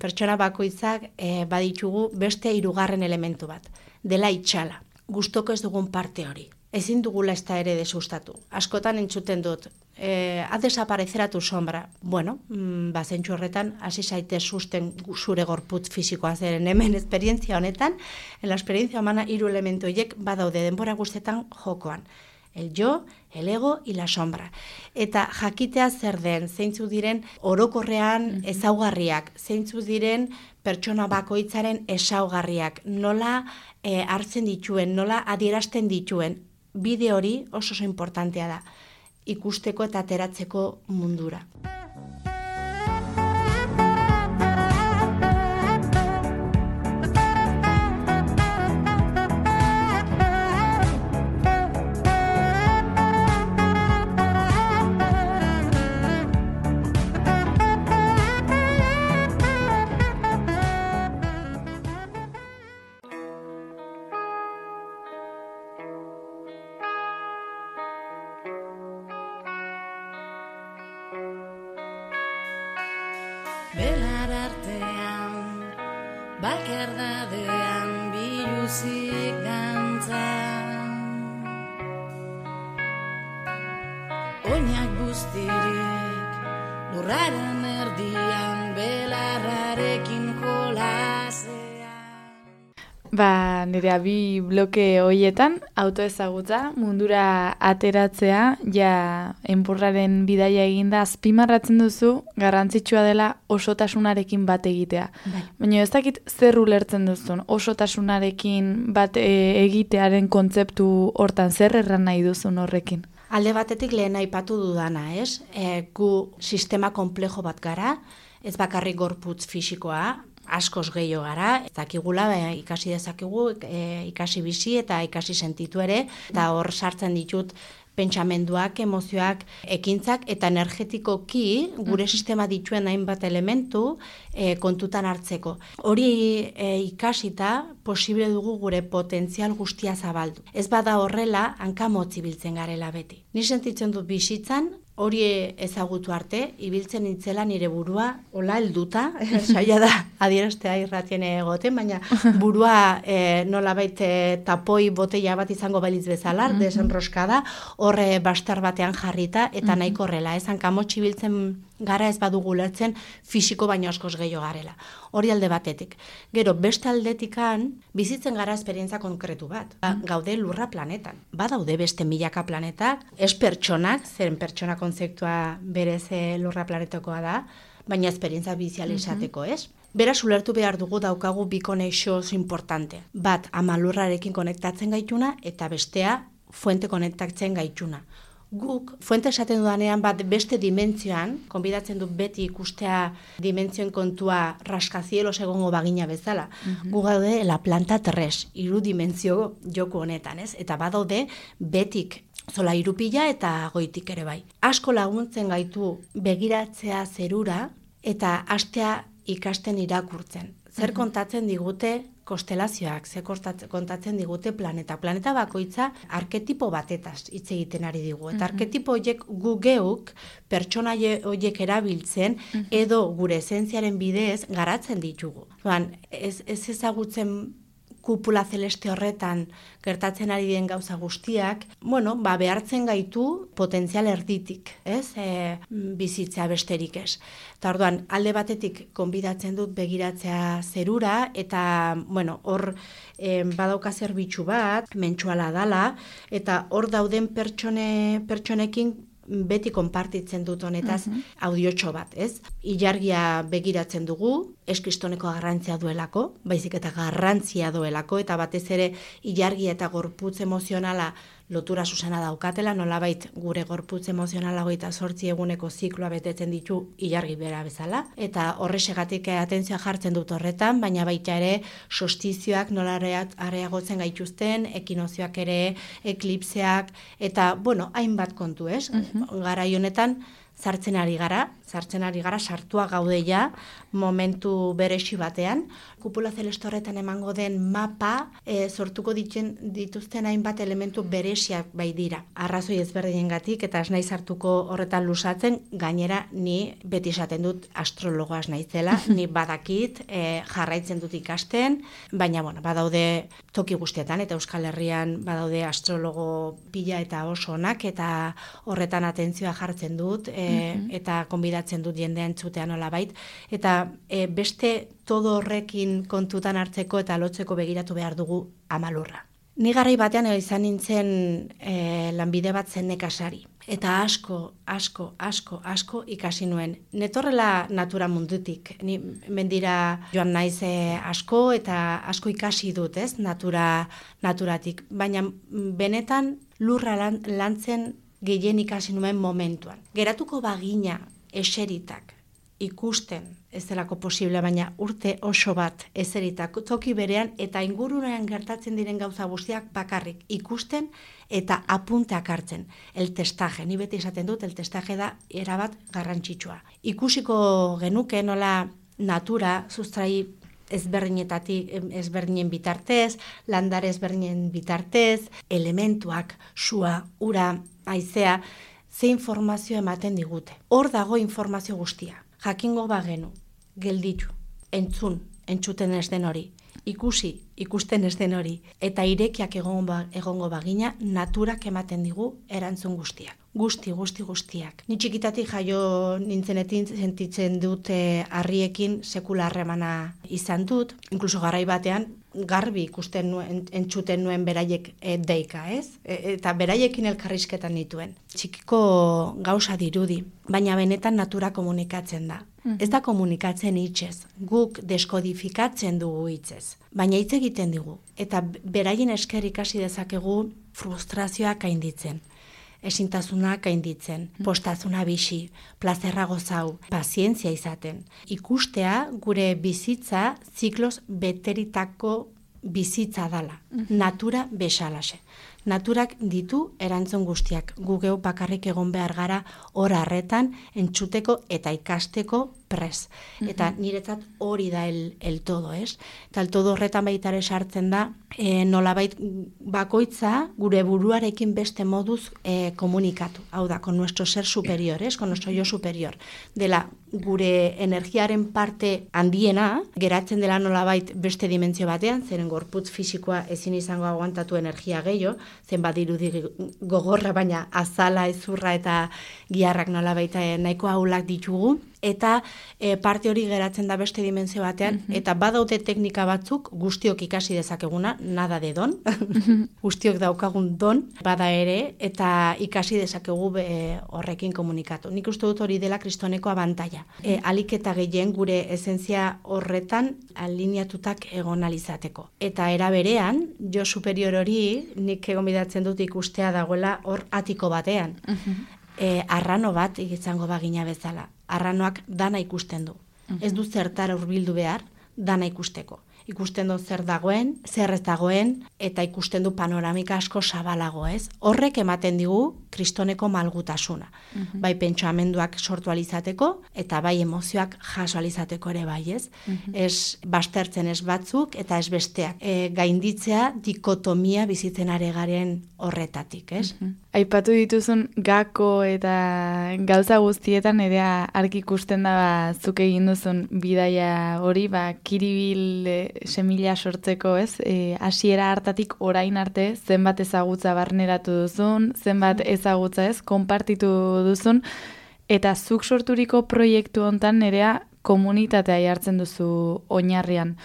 pertsona bakoitzak baditugu beste 3. elementu bat, dela itxala. Gustoko ez dugun parte hori. Ezin dugula ez da ere desustatu. Askotan entzuten dut, ha desaparecerá tu sombra. Bueno, zentzu horretan, hasi zaitez susten zure gorputz fisikoa zeren hemen esperientzia honetan, en la experiencia humana 3 elementu horiek badaude denbora guztetan jokoan. El yo, el ego y la sombra. Eta jakitea zer den, zeintzu diren orokorrean ezaugarriak, zeintzu diren pertsona bakoitzaren ezaugarriak, nola hartzen dituen, nola adierazten dituen, bide hori oso importantea da, ikusteko eta ateratzeko mundura. Belar artean, bakardadean, biluzik dantza. Oinak guztirik, lurraren erdian, belarrarekin jolasean. Nire bi bloke hoietan, autoezagutza, mundura ateratzea, ja enpurraren bidaia eginda azpimarratzen duzu, garrantzitsua dela osotasunarekin bat egitea. Baina ez dakit zer ulertzen duzun, osotasunarekin bat egitearen kontzeptu hortan zer erran nahi duzun horrekin? Alde batetik lehen aipatu dudana, ez? Gu sistema komplejo bat gara, ez bakarrik gorputz fisikoa, askoz gehiago gara, dakigula ikasi dezakigu, ikasi bizi eta ikasi sentitu ere, eta hor sartzen ditut pentsamenduak, emozioak, ekintzak, eta energetikoki gure sistema dituen hainbat elementu kontutan hartzeko. Hori ikasita posible dugu gure potentzial guztia zabaldu. Ez bada horrela, hankamotz ibiltzen garela beti. Ni sentitzen dut bizitzan, hori ezagutu arte, ibiltzen nintzela nire burua, hola helduta, saia da adieraztea irratien egoten, baina burua nolabait tapoi botella bat izango balitz bezala, desenroskada, horre bastar batean jarrita, eta nahiko horrela, hankamotz ibiltzen gara ez badugu lertzen fisiko baino askoz gehiago garela. Hori alde batetik. Gero, beste aldetikan, bizitzen gara esperientzia konkretu bat. Gaude lurra planetan. Badaude beste milaka planetak, ez pertsonak, zeren pertsona kontzeptua berez lurra planetakoa da, baina esperientzia bizial izateko, ez? Beraz, ulertu behar dugu daukagu bi konexio importante. Bat, ama lurrarekin konektatzen gaituna, eta bestea, fuente konektatzen gaituna. Guk, fuente esaten dudanean bat beste dimentzioan, konbidatzen dut beti ikustea dimentzioen kontua raskazielos egongo bagina bezala. Gu gaude la planta 3, 3 dimentzio joku honetan, ez? Eta badaude betik zola 3 pila eta goitik ere bai. Asko laguntzen gaitu begiratzea zerura eta hastea ikasten irakurtzen. zer kontatzen digute konstelazioak, zer kontatzen digute planeta. Planeta bakoitza arketipo batetaz hitz egiten ari digu. Eta arketipo horiek gu geuk pertsona horiek erabiltzen edo gure esentziaren bidez garatzen ditugu. Ez ezagutzen kupula celeste horretan gertatzen ari den gauza guztiak, behartzen gaitu potentzial erditik, bizitza besterik ez. Eta orduan, alde batetik konbidatzen dut begiratzea zerura, eta, hor badauka zerbitzu bat, mentsuala dala, eta hor dauden pertsonekin beti konpartitzen dut honetaz audiotxo bat, ez? Ilargia begiratzen dugu, ez kristoneko garrantzia duelako, baizik eta garrantzia duelako, eta batez ere ilargia eta gorputz emozionala lotura zuzena daukatela, nolabait gure gorputz emozionala 28 eguneko zikloa betetzen ditu ilargi bera bezala, eta horrexegatik atentzioa jartzen dut horretan, baina baita ere solstizioak nola areagotzen gaituzten, ekinozioak ere, eklipseak, eta, hainbat kontu, ez? Garai honetan, sartzen ari gara, sartua gaudeia momentu beresi batean. Kupula celeste horretan emango den mapa sortuko dituzten hainbat elementu beresiak bai dira. Arrazoi ezberdinengatik eta ez naiz sartuko horretan lusatzen, gainera ni beti esaten dut astrologoa ez naizela, ni badakit jarraitzen dut ikasten, baina badaude toki guztietan eta Euskal Herrian badaude astrologo pila eta oso onak eta horretan atentzioa jartzen dut eta konbidatzen dut jendea entzutea nolabait, eta beste todo horrekin kontutan hartzeko eta lotzeko begiratu behar dugu amalurra. Ni garai batean izan nintzen lanbide bat zen nekazari, eta asko ikasi nuen. Netorrela natura mundutik, ni mendira joan naiz asko eta asko ikasi dut, ez, naturatik, baina benetan lurra lantzen gehien ikasi nuen momentuan. Geratuko bagina eseritak ikusten ez delako posible, baina urte oso bat eseritak toki berean eta ingurunean gertatzen diren gauza guztiak bakarrik ikusten eta apunteak hartzen. El testaje, ni beti esaten dut, el testaje da erabat garrantzitsua. Ikusiko genuke nola natura sustrai ezberdinen bitartez, landare ezberdinen bitartez, elementuak, sua, ura, haizea, ze informazio ematen digute. Hor dago informazio guztia. Jakingo bagenu, gelditu, entzuten ez den hori, ikusten ez den hori, eta irekiak egongo bagina, naturak ematen digu erantzun guztiak. Guztiak. Ni txikitatik jaio nintzenetin sentitzen dut harriekin sekula harremana izan dut, inkluso garai batean garbi ikusten nuen, entzuten nuen beraiek deika, ez? Eta beraiekin elkarrizketan nituen. Txikiko gauza dirudi, baina benetan natura komunikatzen da. Ez da komunikatzen hitzez, guk deskodifikatzen dugu hitzez, baina hitz egiten digu. Eta beraien esker ikasi dezakegu frustrazioak gainditzen. Ezintasunak gainditzen, postazuna bizi, plazerra gozau, pazientzia izaten. Ikustea gure bizitza zikloz beteritako bizitza dala. Natura bezalaxe. Naturak ditu erantzun guztiak. Gu geu bakarrik egon behar gara hor harretan entzuteko eta ikasteko pres. Eta niretzat hori da el todo, ez? Eta el todo horretan baitare sartzen da nolabait bakoitza gure buruarekin beste moduz komunikatu. Hau da, con nuestro ser superior, con nuestro yo superior. Dela gure energiaren parte handiena, geratzen dela nolabait beste dimentsio batean, zeren gorputz fisikoa ezin izango aguantatu energia gehiago, zenbat dirudi gogorra, baina azala, ezurra eta giharrak nolabait nahiko ahulak ditugu, eta parte hori geratzen da beste dimentsio batean, eta badaude teknika batzuk guztiok ikasi dezakeguna, nada de don, guztiok daukagun don, bada ere, eta ikasi dezakegu horrekin komunikatu. Nik uste dut hori dela kristoneko abantaila. Alik eta gehien gure esentzia horretan alineatutak egon alizateko. Eta era berean, jo superior hori, nik egon bidatzen dut ikustea dagoela hor atiko batean. Arrano bat izango bagina bezala. Arranoak dana ikusten du. Ez du zertara hurbildu behar, dana ikusteko. ikusten du zer dagoen, zer ez dagoen, eta ikusten du panoramika asko zabalago, ez? Horrek ematen digu kristoneko malgutasuna. Bai pentsamenduak sortu alizateko, eta bai emozioak jaso alizateko ere bai, ez? Ez bastertzen ez batzuk, eta ez besteak. Gainditzea dikotomia bizitzen are garen horretatik, ez? Aipatu dituzun gako eta gauza guztietan ere argi ikusten da zuk egin duzun bidaia hori, kiribil semila sortzeko, ez? Hasiera hartatik orain arte zenbat ezagutza barneratu duzun, zenbat ezagutza, ez? Konpartitu duzun, eta zuk sorturiko proiektu hontan nerea komunitatea jartzen duzu oinarrian.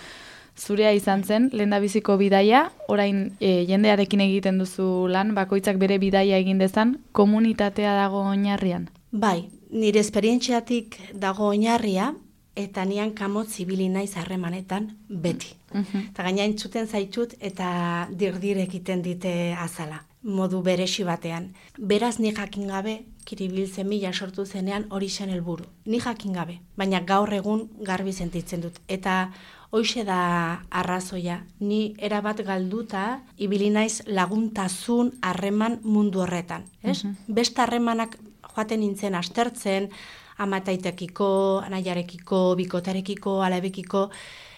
Zurea izan zen, lehendabiziko bidaia, orain jendearekin egiten duzu lan, bakoitzak bere bidaia egin dezan, komunitatea dago oinarrian? Bai, nire esperientziatik dago oinarria, eta nian kamotz ibili naiz harremanetan beti. Eta gaina entzuten zaitut eta dirdir egiten dite azala, modu beresi batean. Beraz ni jakin gabe, kiribil semilla sortu zenean hori zen helburu. Ni jakin gabe, baina gaur egun garbi sentitzen dut. Eta hoixe da arrazoia, ni erabat galduta ibili naiz laguntasun harreman mundu horretan, ez? Beste harremanak joaten nintzen aztertzen, amataitekiko, anaiarekiko, bikotarekiko, alabekiko,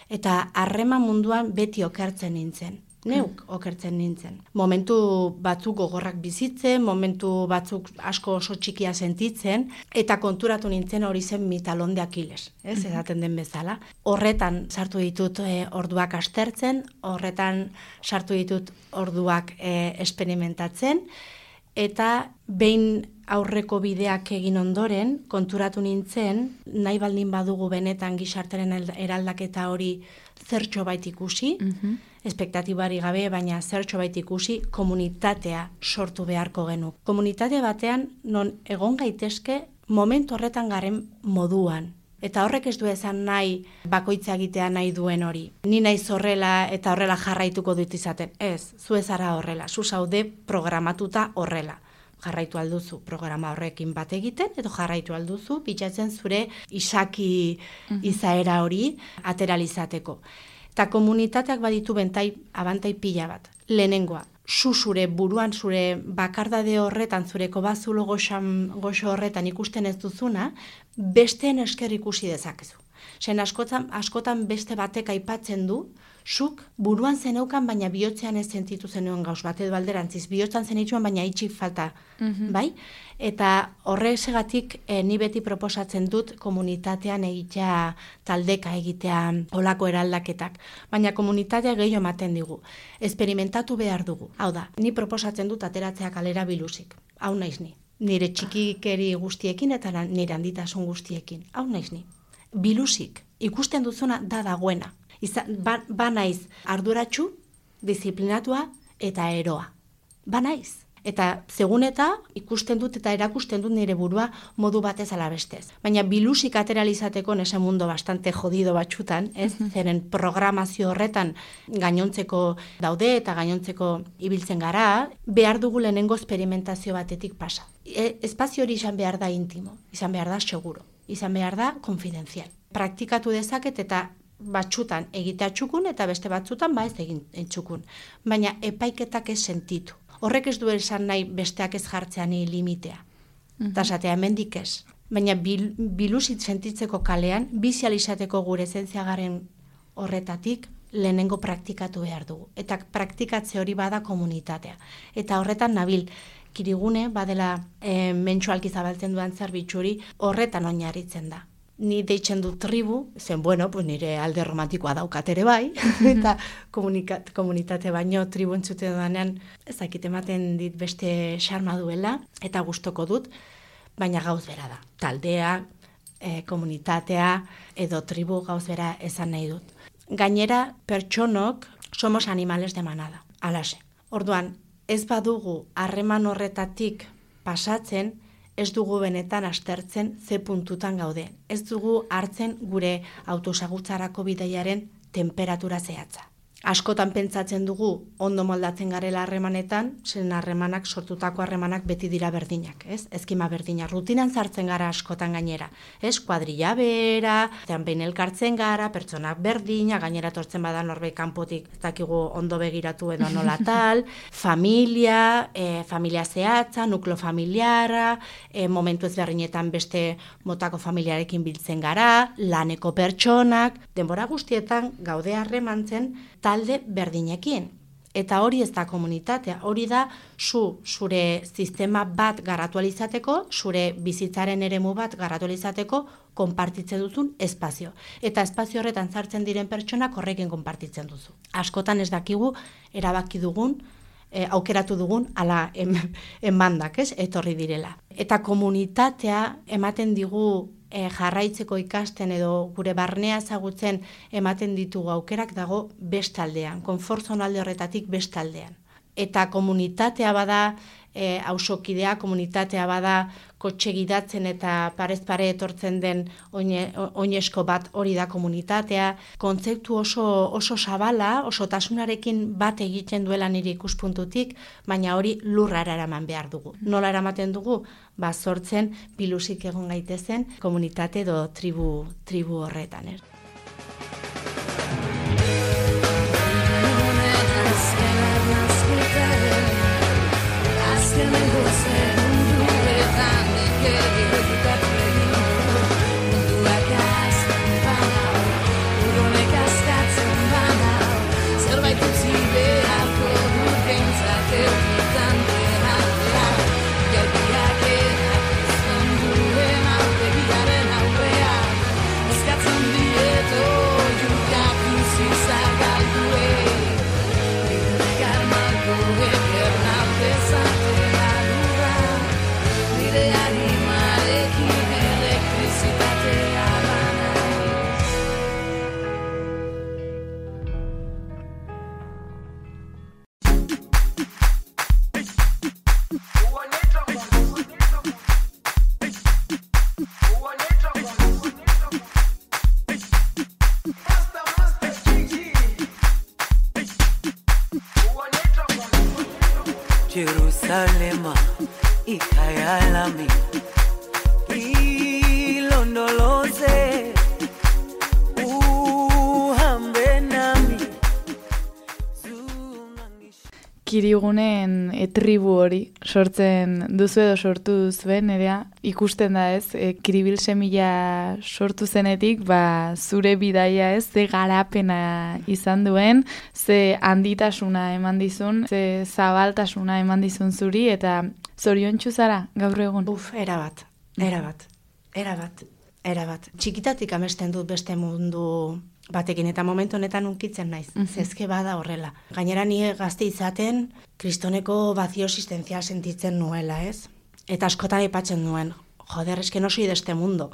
eta harreman munduan beti okertzen nintzen. Neuk okertzen nintzen. Momentu batzuk gogorrak bizitzen, momentu batzuk asko oso txikia sentitzen, eta konturatu nintzen hori zen mi talon de Aquiles, ez, edaten den bezala. Horretan sartu ditut orduak aztertzen, horretan sartu ditut orduak experimentatzen, eta behin aurreko bideak egin ondoren, konturatu nintzen, nahi baldin badugu benetan gizartaren eraldaketa hori zertxo bait ikusi, espektatibari gabe, baina zertxo bait ikusi, komunitatea sortu beharko genuk. Komunitate batean non egon gaitezke momentu horretan garen moduan. Eta horrek ez du esan nahi bakoitza egitea nahi duen hori. Ni naiz horrela eta horrela jarraituko dut izaten. Ez, zu ez ara horrela, zu zaude programatuta horrela. Jarraitu alduzu programa horrekin bat egiten, edo jarraitu alduzu bitxatzen zure izaki izaera hori ateralizateko. Eta komunitateak baditu abantai pila bat. Lehenengoa, zure buruan, zure bakardade horretan, zure kobazulo goxo horretan ikusten ez duzuna, besteen esker ikusi dezakezu. Zen askotan beste batek aipatzen du, zuk buruan zeneukan, baina bihotzean ez sentitu zenuen gauz bat, edo alderantziz, bihotzan zenituen, baina itxik falta, bai? Eta horregatik ni beti proposatzen dut komunitatean egitea, taldeka egitea olako eraldaketak. Baina komunitatea gehiago ematen digu. Esperimentatu behar dugu. Hau da, ni proposatzen dut ateratzea kalera biluzik. Hau naiz ni. Nire txikikeri guztiekin eta nire handitasun guztiekin. Hau naiz ni. Biluzik. Ikusten duzuna da dagoena. Ba naiz arduratsu, disiplinatua eta eroa. Ba naiz. Eta segun eta ikusten dut eta erakusten dut nire burua modu batez ala bestez. Baina bilusik ateralizateko nese mundo bastante jodido batxutan, ez? Zeren programazio horretan gainontzeko daude eta gainontzeko ibiltzen gara, behar dugu lehenengo esperimentazio batetik pasa. Espazio hori izan behar da intimo, izan behar da seguro, izan behar da konfidenzial. Praktikatu dezaket eta batxutan egitea txukun eta beste batzutan ez egin txukun. Baina epaiketak ez sentitu. Horrek ez du esan nahi besteak ez jartzean limitea. Eta esatea hemendik ez. Baina bilusit sentitzeko kalean, bizializateko gure esentziagaren horretatik lehenengo praktikatu behar dugu. Eta praktikatze hori bada komunitatea. Eta horretan nabil, Kirigune badela mentsualki zabaltzen duan zerbitzuri horretan oinarritzen da. Ni deitzen dut tribu, zen nire alde romantikoa daukat ere bai, eta komunitate baino tribu entzuten dudanean ezakit ematen dit beste xarma duela, eta gustoko dut, baina gauz bera da. Taldea, komunitatea, edo tribu gauz bera esan nahi dut. Gainera, pertsonok somos animales de manada, alaxe. Orduan, ez badugu harreman horretatik pasatzen, ez dugu benetan aztertzen ze puntutan gaude. Ez dugu hartzen gure autosagutzarako bidaiaren temperatura zehatza. askotan pentsatzen dugu ondo moldatzen garela harremanetan, zen harremanak, sortutako harremanak beti dira berdinak, ez? Eskema berdina, rutinan sartzen gara askotan gainera, ez? Kuadrilla bera, zean behin elkartzen gara, pertsonak berdina, gainera tortzen bada norbait kanpotik, ez dakigu ondo begiratu edo nola tal, familia zehatza, nuklo familiara, momentu ezberdinetan beste motako familiarekin biltzen gara, laneko pertsonak, denbora guztietan gaude harremantzen talde berdinekin. Eta hori ez da komunitatea, hori da zure sistema bat garatu alizateko, zure bizitzaren eremu bat garatu alizateko, konpartitzen duzun espazio. Eta espazio horretan sartzen diren pertsonak horrekin konpartitzen duzu. Askotan ez dakigu erabaki dugun, aukeratu dugun, ala emandak, ez, etorri direla. Eta komunitatea ematen digu jarraitzeko ikasten edo gure barnea ezagutzen ematen ditugu aukerak dago bestaldean, konfortzonalde horretatik bestaldean. Eta komunitatea bada, auzokidea, komunitatea bada kotxe gidatzen eta parez pare etortzen den oinesko bat hori da komunitatea. Kontzeptu oso zabala, osotasunarekin bat egiten duela nire ikuspuntutik, baina hori lurrara eraman behar dugu. Nola eramaten dugu? Sortzen biluzik egon gaitezen komunitate edo tribu horretan, ez? Jerusalema ikayalami ilondoloze uhambe nami. Kirigunen tribu hori sortzen duzu edo sortu duzuen, nerea, ikusten da ez, Kiribil semilla sortu zenetik, zure bidaia ez, ze garapena izan duen, ze handitasuna eman dizun, ze zabaltasuna eman dizun zuri, eta zoriontsu zara gaur egun? Erabat. Txikitatik amesten dut beste mundu batekin, eta momentu honetan unkitzen naiz. Zezke bada horrela. Gainera nire gazte izaten, kristoneko bazio existenzial sentitzen nuela, ez? Eta askotan aipatzen nuen, joder, eske no soy de este mundo.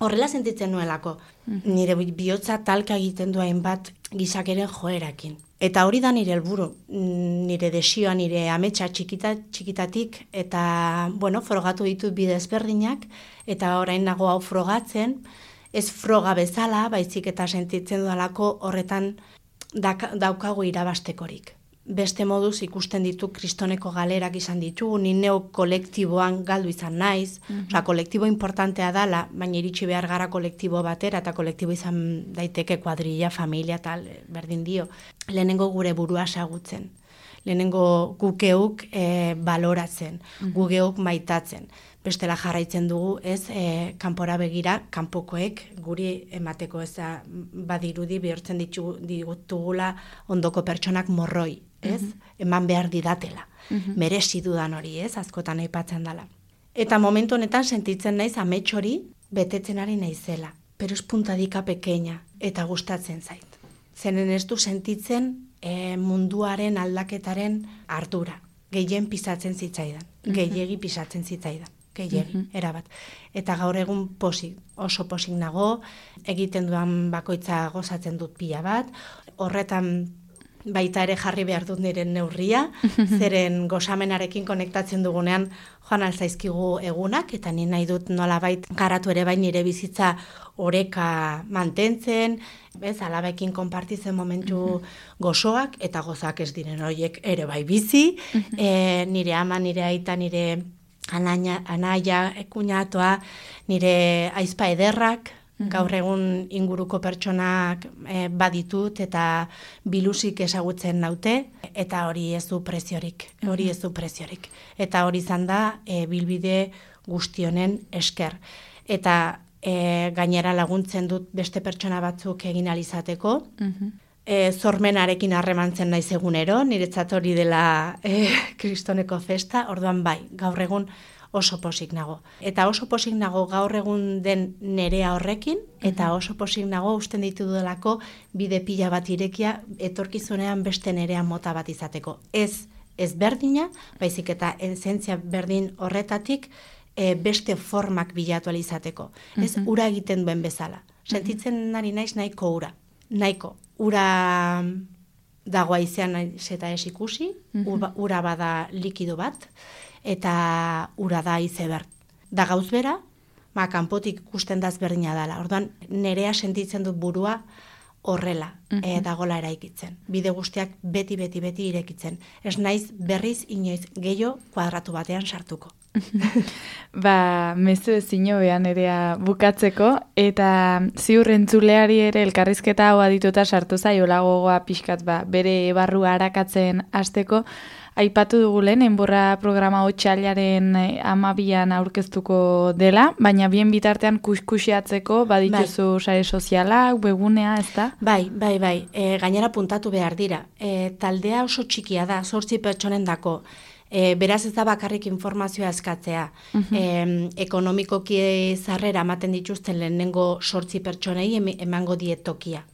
Horrela sentitzen nuelako. Nire bihotza talka egiten duen bat gizakeren joerakin. Eta hori da nire helburu, nire desioa, nire ametsa txikitatik, eta, frogatu ditut bide ezberdinak, eta orain nago hau frogatzen, ez froga bezala, baizik eta sentitzen dudalako horretan daukagu irabastekorik. Beste moduz ikusten ditu kristoneko galerak izan ditugu, ni neu kolektiboan galdu izan naiz, kolektibo importantea dala, baina iritsi behar gara kolektibo batera, eta kolektibo izan daiteke kuadrilla, familia, tal, berdin dio. Lehenengo gure burua ezagutzen, lehenengo gukeuk baloratzen, gukeuk maitatzen. Bestela jarraitzen dugu, ez, kanpora begira, kanpokoek guri emateko ez badirudi bihurtzen ditugula ondoko pertsonak morroi, ez? Eman behar didatela. Merezi dudan hori, ez? Askotan aipatzen dela. Eta momentu honetan sentitzen naiz amets hori betetzen ari naizela. Pero es puntadika pequeña eta gustatzen zait. Zenen ez du sentitzen munduaren aldaketaren ardura. Gehien pisatzen zitzaidan. Gehiegi pisatzen zitzaidan. Erabat. Eta gaur egun oso posik nago, egiten duan bakoitza gozatzen dut pila bat, horretan baita ere jarri behar dut nire neurria, zeren gozamenarekin konektatzen dugunean joan alzaizkigu egunak, eta ni nahi dut nolabait garatu ere bai nire bizitza oreka mantentzen, alabekin konpartitzen momentu gozoak, eta gozak ez diren horiek ere bai bizi, nire ama, nire aita, nire anaia, kuñatoa, nire aizpa ederrak, gaur egun inguruko pertsonak baditut eta biluzik ezagutzen naute, eta hori ez du preziorik, Eta hori izan da bilbide guztionen esker. Eta gainera laguntzen dut beste pertsona batzuk egin alizateko, zormenarekin harremantzen naiz egunero, niretzat hori dela kristoneko festa, orduan bai, gaur egun oso posik nago. Eta oso posik nago gaur egun den nerea horrekin, eta oso posik nago usten ditudelako bide pila bat irekia etorkizunean beste nerea mota bat izateko. Ez berdina, baizik eta esentzia berdin horretatik beste formak bilatu alizateko. Ez ura egiten duen bezala. Sentitzen nari naiz nahiko ura. Nahiko. Ura dago aizean eta ez ikusi, ura bada likido bat, eta ura da izeber. Da gauz bera, kanpotik ikusten daz berdina dela. Orduan, nerea sentitzen dut burua horrela, dagola eraikitzen. Bide guztiak beti irekitzen. Ez naiz berriz inoiz gehiago kuadratu batean sartuko. Mezu ezino behan nerea bukatzeko, eta ziur entzuleari ere elkarrizketa hau adituta sartu zaiola gogoa pixkat bere barrua arakatzen hasteko. Aipatu dugu lehen, enborra programa otsailaren 12an aurkeztuko dela, baina bien bitartean kuskusiatzeko badituzu sare sozialak, webgunea, ez da? Bai. Gainera puntatu behar dira. Taldea oso txikia da, 8 pertsonen dako. Beraz ez da bakarrik informazioa eskatzea. Ekonomikoki zarrera ematen dituzten lehenengo 8 pertsonei emango diet tokia.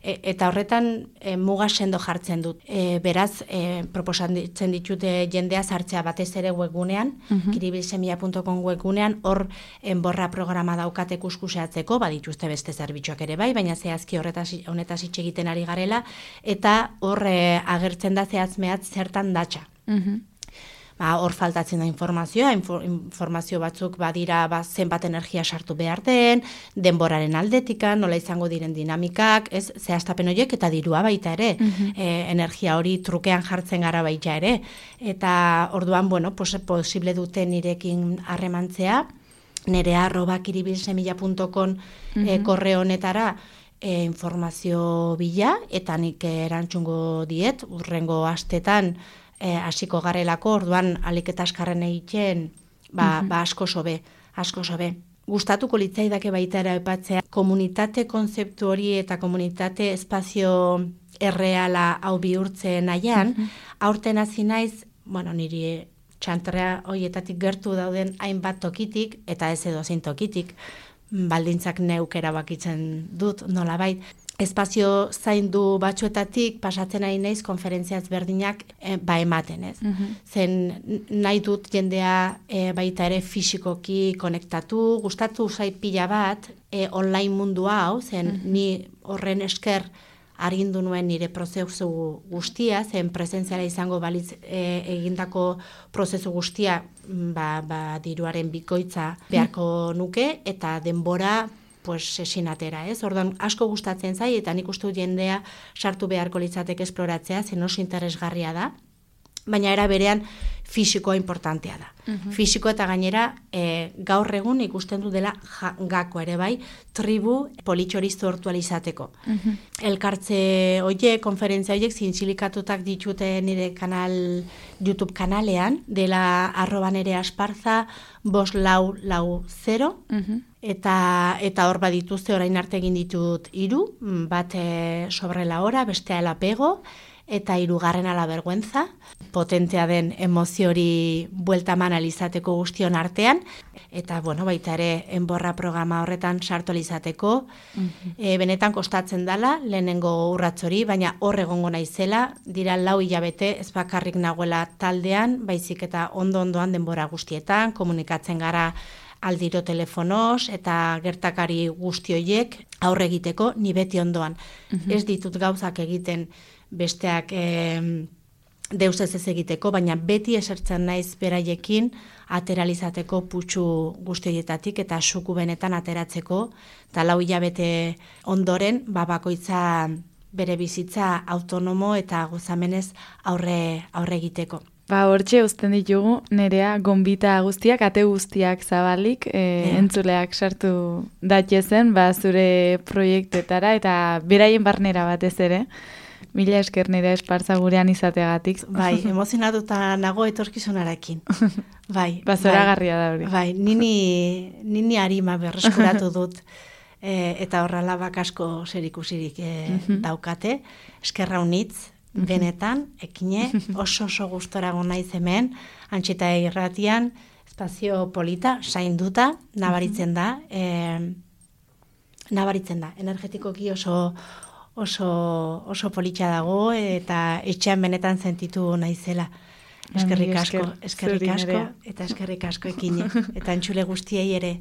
Eta horretan muga sendo jartzen dut. Beraz, proposatzen ditute jendea sartzea batez ere webgunean, kiribilsemilla.com webgunean, hor enborra programa daukate kuskuseatzeko, badituzte beste zerbitzuak ere bai, baina zehazki honetaz hitz egiten ari garela, eta hor agertzen da zehazmeat zertan datza. Hor faltatzen da informazioa, informazio batzuk badira zenbat energia sartu behar den, denboraren aldetikan, nola izango diren dinamikak, zehaztapen horiek eta dirua baita ere, energia hori trukean jartzen gara baita ere, eta orduan, posible dute nirekin harremantzea, nerea@kiribilsemilla.com korreo honetara informazio bila, eta nik erantzungo diet, urrengo astetan, hasiko garelako, orduan alik eta askarren egiten, asko sobe. Gustatuko litzaidake baita ere aipatzea, komunitate konzeptu hori eta komunitate espazio erreala hau bihurtzen nahian, aurten hasi naiz, niri txantrea horietatik gertu dauden hainbat tokitik, eta ez edozein tokitik, baldintzak neuk erabakitzen dut nolabait. Espazio zaindu batzuetatik pasatzen ari naiz konferentzia ezberdinak ematen, ez? Zen nahi dut jendea baita ere fisikoki konektatu, gustatu zait pila bat online mundu hau, zen ni horren esker argindu nuen nire prozesu guztia, zen presentziala izango balitz egindako prozesu guztia diruaren bikoitza beharko nuke, eta denbora esinatera, ez? Orduan asko gustatzen zai, eta nik uste dut jendea sartu beharko litzateke esploratzea, zen oso interesgarria da, baina era berean fisikoa importantea da. Fisiko eta gainera gaur egun ikusten du dela gako ere bai, tribu politxoristu hortualizateko. Elkartze hoiek, konferentzia hoiek, zintzilikatutak ditute nire YouTube kanalean, dela @nereasparza 5440, eta hor badituzte orain arte egin ditut 3, bat sobre la hora, bestea el apego, eta 3. la vergüenza, potentea den emozio hori buelta eman alizateko guztion artean, eta baita ere enborra programa horretan sartu alizateko, benetan kostatzen dela, lehenengo urrats hori, baina hor egongo naizela, dira 4 hilabete ez bakarrik nagoela taldean, baizik eta ondo-ondoan denbora guztietan, komunikatzen gara aldiro telefonoz, eta gertakari guzti horiek aurre egiteko, ni beti ondoan. Ez ditut gauzak egiten besteak deus ez egiteko, baina beti esertzen naiz beraiekin ateralizateko putxu guztietatik eta suku benetan ateratzeko, eta 4 hilabete ondoren, bakoitza bere bizitza autonomo eta gozamenez aurre egiteko. Hortxe uzten ditugu, Nerea, gonbita guztiak, ate guztiak zabalik, entzuleak sartu datiezen, zure proiektetara, eta beraien barnera batez ere. Mila esker Nerea Esparza gurean izateagatik. Bai, emozionatuta nago etorkizunarekin. Bai. Zoragarria da hori. Bai, nini arima berreskuratu dut. Eta horrela asko zerikusirik daukate. Eskerra unitz, benetan, ekine, oso gustora naiz hemen, Antxeta irratian, espazio polita, sainduta, nabaritzen da, energetikoki oso politxa dago, eta etxean benetan sentitu naizela. Eskerrik asko, eta eskerrik asko ekine, eta entzule guztiei ere.